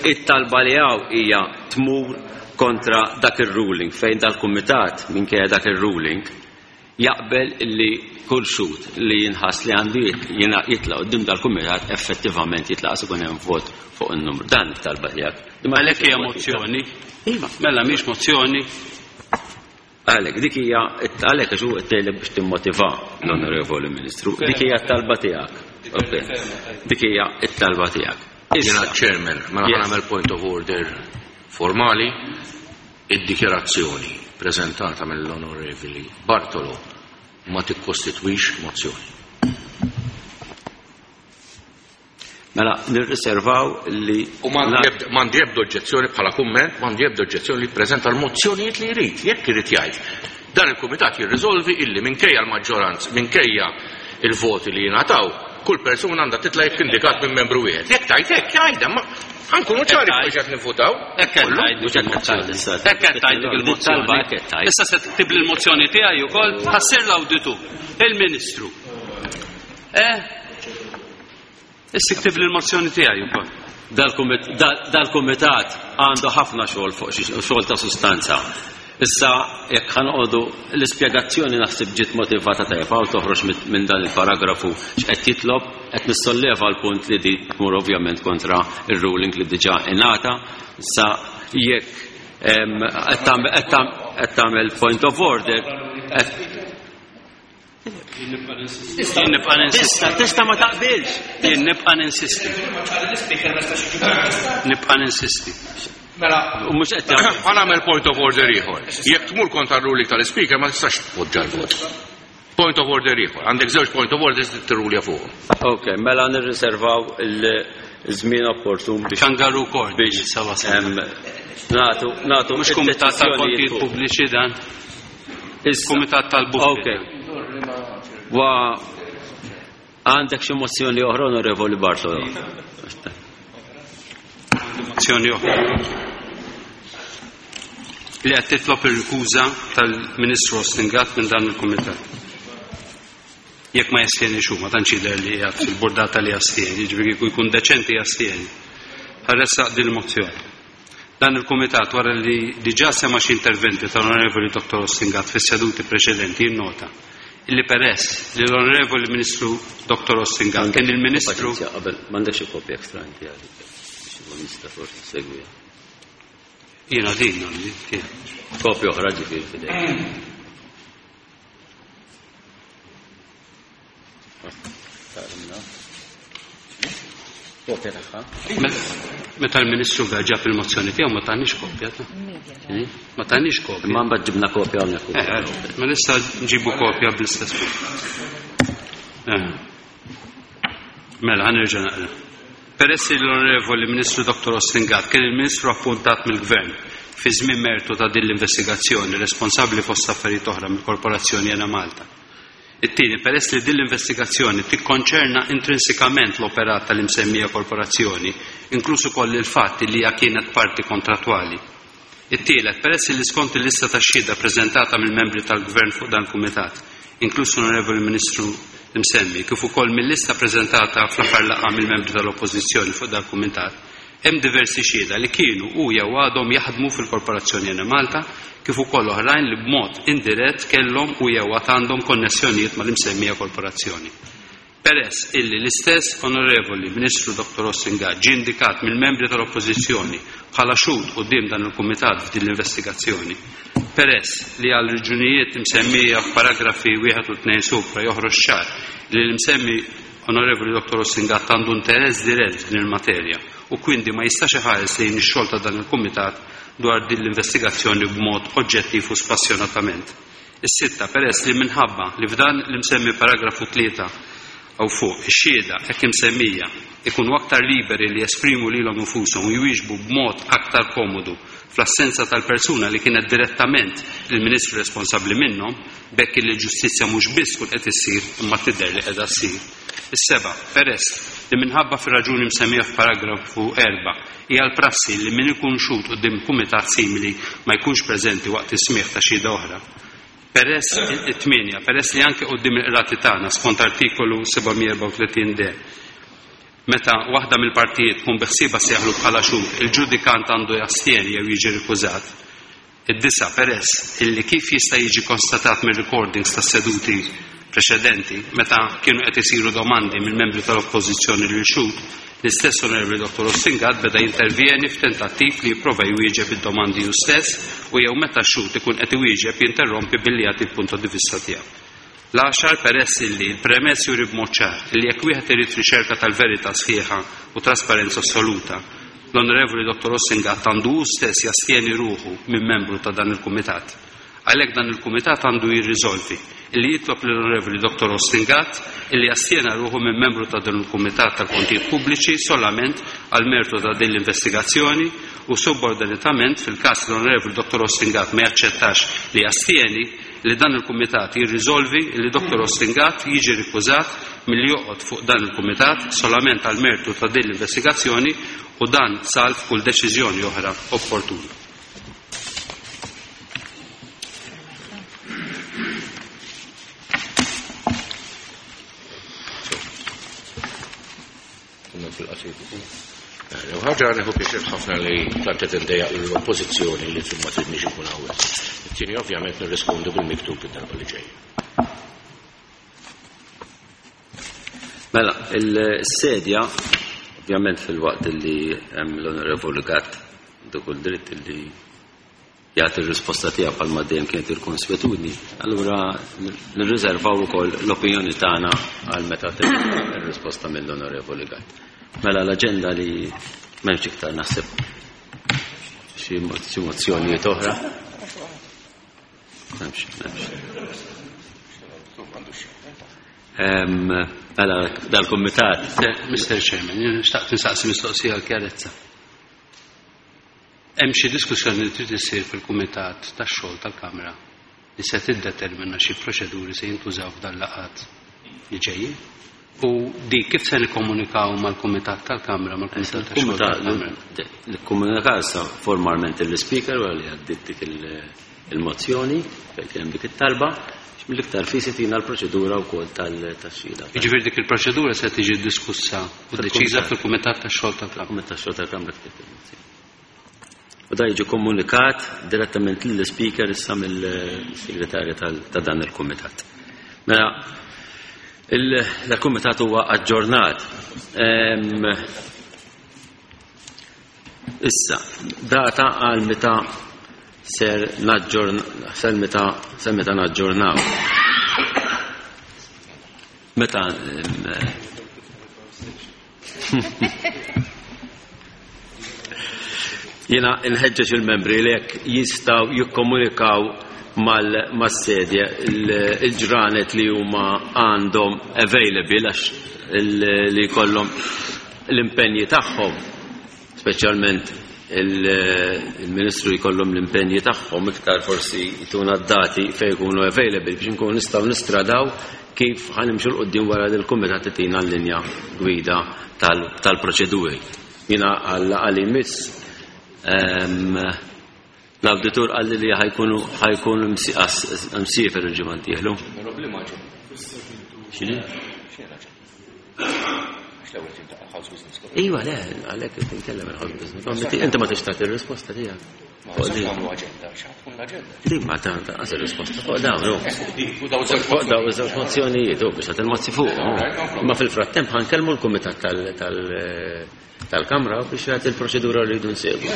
it-talba li hawn hija tmur kontra dak ir-ruling fejn dal-kumitat minkejja dak ir-ruling jaqbel li kull xut li jinħass li għandu jitla' quddiem dal-kumitat effettivament jitla' għas ikun hemm vot fuq in-numru. Dan it-talba tiegħek. Għalhekk hija mozzjoni. Iva. Mela mhix mozzjoni. Għalek, dik hija għalek għax hu qed biex timmotiva l-Onorevoli Ministru. Dik hija t-talba tiegħek. Ok. Dik hija t-talba tiegħek. Jiena Issa, chairman, mela Yes. ħa nagħmel point of order formali, id-dikjerazzjoni preżentata mill-Onorevoli Bartolo ma tikkostitwix mozzjoni. mela nirriservaw li U m'għandi ebda oġġezzjoni bħala kumment, m'għandi ebda oġġezzjoni li jippreżenta l-mozzjonijiet li jrid, jekk irid jgħid. Dan il-kumitat jirriżolvi illi minkejja l-maġġoranza, minkejja il-voti li jingħataw, kull persuna għandha titla' jekk indikat minn membru wieħed. Jekk tajt hekk jgħidha, ma ħankunu ċari fuq qed nivvutaw. Hekk qed tgħid Mhux hekk qed tgħid issa. Hekk qed tgħid dik il-mozzjoni. Talba hekk qed tgħid. Issa se tiktib l-mozzjoni tiegħi wkoll ħassir l-awditur, il-Ministru. Eh? Issa tiktib l-mozzjoni tiegħi wkoll. Dal-kumitat għandu ħafna xogħol fuq xi xogħol ta' sustanza. Issa jekk ħanqodu l-ispjegazzjoni naħseb ġiet motivata tajjeb hawn toħroġ minn dan il-paragrafu x'qed jitlob qed nissolleva l-punt li di tmur ovvjament kontra ir-ruling li diġà ingħata. Issa jekk qed tagħmel point of order qed Jien nibqa' ninsisti. tista' tista' ma taqbilx. Jien nibqa' ninsisti. Nibqa' ninsisti. Mela, U mhux qed jagħmel. Ħa nagħmel point of order ieħor. Jekk tmur kontra r-ruling tal-speaker ma tistax tpoġġa l-vot. Point of order ieħor. Għandek żewġ point of orders li tirrulja fuqhom. Ok, mela nirriservaw il-żmien opportun biex Kangaroo court biex issa wasal. natu natu Mhux kumitat id-deċiżjonijiet tal-kontijiet fuq. pubbliċi dan, Issa. kumitat tal-buffi. Ok. Wa għandek xi mozzjoni oħra Onorevoli Bartolo. Mozzjoni oħra. Li qed titlob ir-rikuża tal-Ministru Austin Gatt minn dan il-kumitat. Jekk ma jastieni xu, ma tantx jidher li qiegħed fil-burdata li jastieni, jiġifieri kieku jkun deċenti jastieni. Ħarressaq din il-mozzjoni. Dan il-kumitat wara li diġà sema xi interventi tal-Onorevoli Dr. Austin Gatt fis-seduti preċedenti jinnota illi peress li l-Onorevoli Ministru Dr. Austin Gatt kien il-Ministru Paċenzja, qabel m'għandekx xi kopja ekstra inti għalik. Biex ikun nista' forsi segwiha. Jiena din għandi, kien. Kopja oħra ġifieri f'idejk. Kopja tagħha. Meta l-Ministru ġab il-mozzjoni tiegħu ma tagħniex kopja ta' Ma tagħniex kopja. Imma mbagħad ġibna kopja hawnhekk ukoll. Eh, ma nista' nġibu kopja bl-istess mod. Eh. Mela, ħa nerġa' naqra. Peress li l-Onorevoli Ministru Dr. Austin Gatt kien il-Ministru appuntat mill-Gvern fi żmien mertu ta' din l-investigazzjoni responsabbli fost affarijiet oħra mill-Korporazzjoni Enemalta. It-tieni, peress li din l-investigazzjoni tikkonċerna intrinsikament l-operat tal-imsemmija korporazzjoni, inkluż ukoll il-fatt li hija kienet parti kontrattwali. It-tielet, peress li skont il-lista ta' xhieda preżentata mill-membri tal-Gvern fuq dan il-Kumitat, inkluż l-Onorevoli Ministru imsemmi, kif ukoll mill-lista preżentata fl-aħħar laqgħa mill-membri tal-Oppożizzjoni fuq dan il-Kumitat, Hemm diversi xhieda li kienu u jew għadhom jaħdmu fil-Korporazzjoni Enemalta kif ukoll oħrajn li b'mod indirett kellhom u jew għad għandhom konnessjonijiet mal-imsemmija korporazzjoni. Peress illi l-istess Onorevoli Ministru Dottor Austin Gatt ġie indikat mill-membri tal-Oppożizzjoni bħala xhud quddiem dan il-Kumitat f'din l-investigazzjoni. Peress li għal raġunijiet imsemmija f'paragrafi wieħed u tnejn supra joħroġ ċar li l-imsemmi Onorevoli Dottor Austin Gatt għandu interess dirett f'din il-materja u kwindi ma jistax iħares lejn ix-xogħol ta' dan il-Kumitat dwar din l-investigazzjoni b'mod oġġettiv u spassjonatament. Is-sitta, peress li minħabba li f'dan l-imsemmi paragrafu 3 hawn fuq, ix-xhieda hekk imsemmija ikunu aktar liberi li jesprimu lilhom infushom u jwieġbu b'mod aktar komodu fl-assenza tal-persuna li kienet direttament il-Ministru responsabbli minnhom, b'hekk illi l-ġustizzja mhux biss tkun qed issir imma tidher li qiegħda ssir. Is-seba', peress li minħabba fir-raġuni msemmija f'paragrafu 4 hija l-prassi li min ikun xhud quddiem kumitat simili ma jkunx preżenti waqt is-smigħ ta' xhieda oħra. Peress, it-tmienja, peress li anke quddiem il-qrati tagħna skont artikolu 734 d, meta waħda mill-partijiet tkun biħsiebha ssejjaħlu bħala xhud, il-ġudikant għandu jastjeni jew jiġi rikużat. Id-disa', peress illi kif jista' jiġi konstatat mir-recordings tas-seduti preċedenti, meta kienu qed isiru domandi mill-membri tal-Oppożizzjoni lil xhud, l-istess Onorevoli Dottor Austin Gatt beda jintervjeni f'tentattiv li jipprova jwieġeb id-domandi hu stess u jew meta x-xhud ikun qed iwieġeb jinterrompi billi jagħti l-punto di vista tiegħu. L-għaxar, peress illi l-premess juri b'mod ċar illi jekk wieħed irid riċerka tal-verità sħiħa u trasparenza assoluta, l-Onorevoli Dottor Austin Gatt għandu hu stess jastjeni ruħu minn membru ta' dan il-Kumitat. Għalhekk dan il-Kumitat għandu jirriżolvi illi jitlob lill-Onorevoli Dottor Austin Gatt illi jastjena ruħu minn membru ta' dan il-Kumitat tal-Kontijiet Pubbliċi solament għall-mertu ta' din l-investigazzjoni u subordinatament fil-każ li l-Onorevoli Dottor Austin Gatt ma jaċċettax li jastjeni, li dan il-Kumitat jirriżolvi li Dottor Austin Gatt jiġi rikużat milli joqgħod fuq dan il-Kumitat solament għall-mertu ta' din l-investigazzjoni u dan salv kull deċiżjoni oħra opportuna. Kumment fil-qasir. U ħaġa nieħu pjaċir ħafna li tant qed indejjaq l-oppożizzjoni li ma tridniex ikun hawnhekk. It-tieni ovvjament nirrispondu bil-miktub id-darba li ġejja. Mela, il-sedja, ovvjament fil-waqt li hemm l-Onorevoli Gatt għandu kull dritt li jagħti r-risposta tiegħu bħalma dejjem kienet il-konswetudni, allura nirriservaw ukoll l-opinjoni tagħna għal meta ir-risposta mill-Onorevoli Gatt. Mela l-aġenda li m'hemmx iktar naħseb xi mozzjonijiet oħra. M'hemmx, m'hemmx. Mela dal-kumitat. Mr. Chairman, jien xtaqt insaqsi mistoqsija għal kjarezza. Hemm xi diskussjoni li trid issir fil-Kumitat tax-Xogħol tal-Kamra li se tiddetermina xi proċeduri se jintużaw f'dan laqgħat li ġejjin? U dik kif se nikkomunikaw mal-Kumitat tal-Kamra, mal-Kumitat tax-Xogħol tal-Kamra? Nikkomunikaw issa formalment lill-Ispeaker wara li għaddiet dik il-mozzjoni fejn kien hemm dik it-talba biex mill-iktar fis itina l-proċedura wkoll tax-xhieda. Jiġifieri dik il-proċedura se tiġi diskussa u deċiża fil-Kumitat tax-Xogħol tal-Kamra. Kumitat tax-Xogħol tal-Kamra kif il-mozzjoni. U da jiġi komunikat direttament lill-Speaker issa mill-Segretarja ta' dan il-Kumitat. Mela, il-Kumitat huwa aġġornat. Issa, data għal meta ser naġġorn, ser meta, ser meta naġġornaw. Meta Jiena nħeġġeġ il-membri li jekk jistgħu jikkomunikaw mas-sedja il-ġranet li huma għandhom available għax li jkollhom l-impenji tagħhom, speċjalment il-Ministru jkollhom l-impenji tagħhom iktar forsi jtuna d-dati fejn ikunu available biex inkunu nistgħu nistradaw kif ħa nimxu 'l quddiem wara li l-Kumitat itina l-linja gwida tal-proċeduri. Jiena għal-laqgħa li jmiss l-awditur qalli li ħajkunu ħajkun msiefer il-ġimgħa d-dieħlu. X'inhi? Mhux l-ewwel tiltaqa' l-House Business Committee. Iva, le, għalhekk qed inkellem il-House Business Committee. Inti ma tix tagħti r-risposta tiegħek. Ma nistax nagħmlu aġenda, x'ħa tkun l-aġenda. Din ma ta' qas ir-risposta fuq dawn, hu. U dawn żewġ Fuq dawn iż-żewġ mozzjonijiet, hu biex tagħti il-mozzi fuq. Imma fil-frattemp ħa nkellmu l-kumitat tal-Kamra biex jagħti l-proċedura li rridu nsegwu.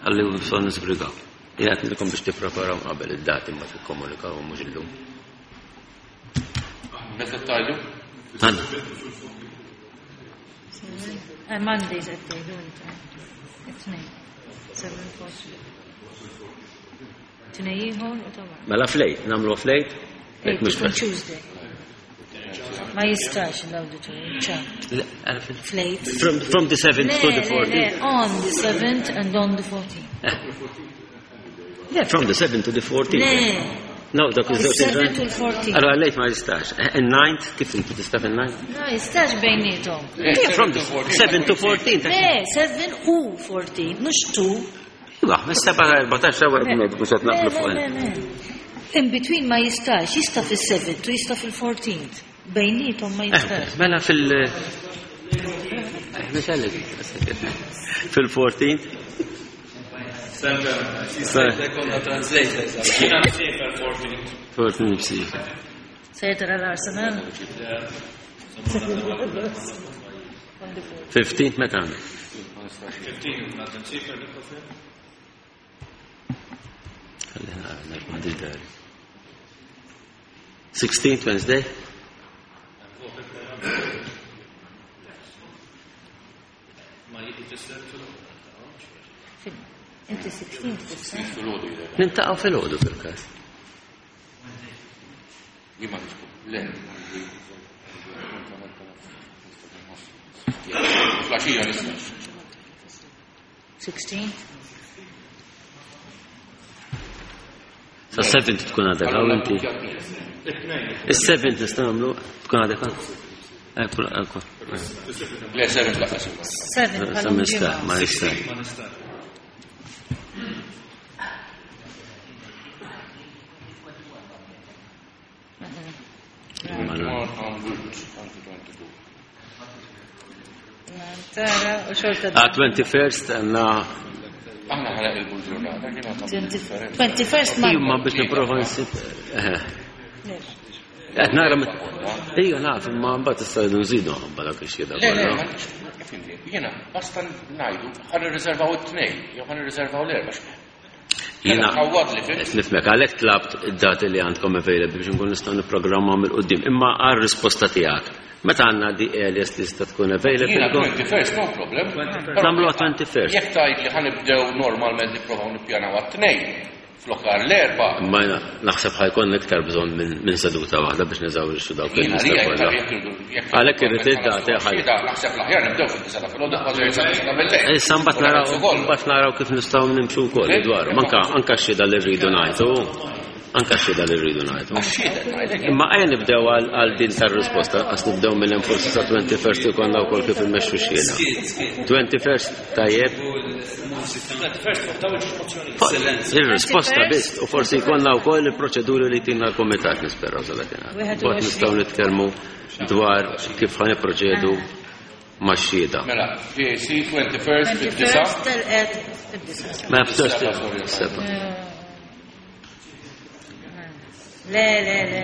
Ħalli nistgħu nisbrigaw. Jien qed ngħidilkom biex tippreparaw qabel id-dati ma tikkomunikaw mhux illum. Meta tgħidu? Għandna. Mondays qed tgħidu inti. It-tnejn. 7:40. Tnejn ieħor u ta' wara. Mela flejt, nagħmlu flejt? Eight, ikun Tuesday. Ma jistax l-auditorium, ċa. Flejt. From the 7th to the Le, le, 14th. on the 7th and on the 14th. Yeah, from the 7th to the 14th. Le, No, dak iż-żewġ Is-7th u l-14th. Allora lejt ma jistax. Il-9th, kif inti tista' fil-9th? Ma jistax bejnietom. Yeah, from the 7 to 14. Le, 7 u 14, mhux 2. Iva, mis-7 14 ewwel bned biex qed naqblu fuq. Le, le, le. In between ma jistax, jista' fil-7th u jista' fil-14th. Bejnietom ma jistax. Mela fil- Fil-14th. Konna translators. Jiena msiefer 14. 14 msiefer. Sejter għal-Arsenal. 15th meta għandek? 15 għad msiefer nikkofer. Ħalli nara, m'għandix dari. 16th Wednesday? Ma jitisser fil Inti 16th tista'. Nintaqgħu fil-ħodu fil-każ. Jien ma nixku. Le. Flaxija nista'. 16th. Sa 7th tkun għadek hawn inti. Is-7th nistgħu nagħmlu tkun għadek hawn. Ekku, ekku. Le, 7 laqas. 7 Sa nista' ma nista'. Ma nista'. Tara, u xorta. Ah, 21st għandna Aħna ħana il-ġurnata, jiena tagħmel differenza. 21st Ijma Monday. biex nipprova nsib. Qed nara Ija naf imma mbagħad issa rridu nżidu ħabba dak ix-xhieda Le, le, kollha. ma nix- ifhimni, jiena basta ngħidu ħa nirriservaw it-tnejn, jew ħa nirriservaw l-erba'. Jiena Ħawwad li fim. qed nifhmek għalhekk tlabt id-dati li għandkom available biex nkun nistgħu nipprogrammaw mill-qudiem. Imma għar-risposta tiegħek. Meta għandna di earliest tista' tkun available. Jiena 21st, no problem. Nagħmluha 21st. Jekk tgħid li ħanibdew normalment nipprovaw nippjanaw għat-tnejn, flokar l-erba'. Imma jiena naħseb ħajkun iktar bżonn minn seduta waħda biex neżawrixxu dawk Jiena il-lista li kollha. jekk irridu- jekk Għalhekk irrid id-dati ħaj. Xhieda, naħseb l-aħjar nibdew fid-disa ta' filgħodu kważi sa bil-lejl. Issa mbagħad naraw mbagħad naraw kif nistgħu nimxu wkoll dwaru. Anka anka x-xhieda li rridu ngħidu. Anka x-xhieda li rridu ngħidu. Imma ejja nibdew għal din tar-risposta, għas nibdew minn hemm forsi sa 21st ikollna wkoll kif immexxu xhieda. 21st tajjeb. Il-risposta biss u forsi jkollna wkoll il-proċeduri li tina l-kumitat nisperaw sa dakinhar. Mbagħad nistgħu nitkellmu dwar kif ħa nipproċedu max-xhieda. Mela, PAC 21st fid-disa. 21st tal-qed id-disa. Ma ftax seba. Le, le, le.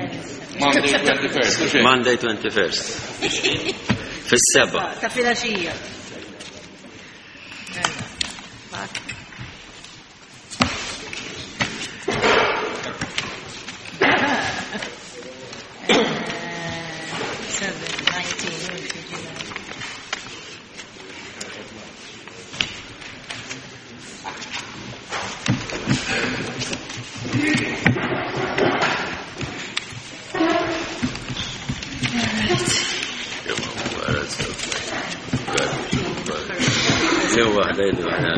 Monday 21st. u xejn. Monday 21st. Fis-seba. Ta' filgħaxija. Mela. 7, 19, Jew waħda jew waħda.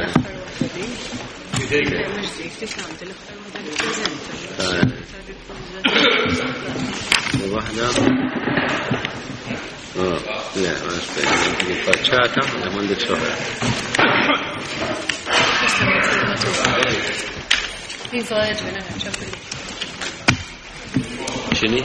Jew waħda. Oh, le, ma nafx fejn. Faċċata, le m'għandekx oħra. Iva, Edwin, ċempilli. X'inhi?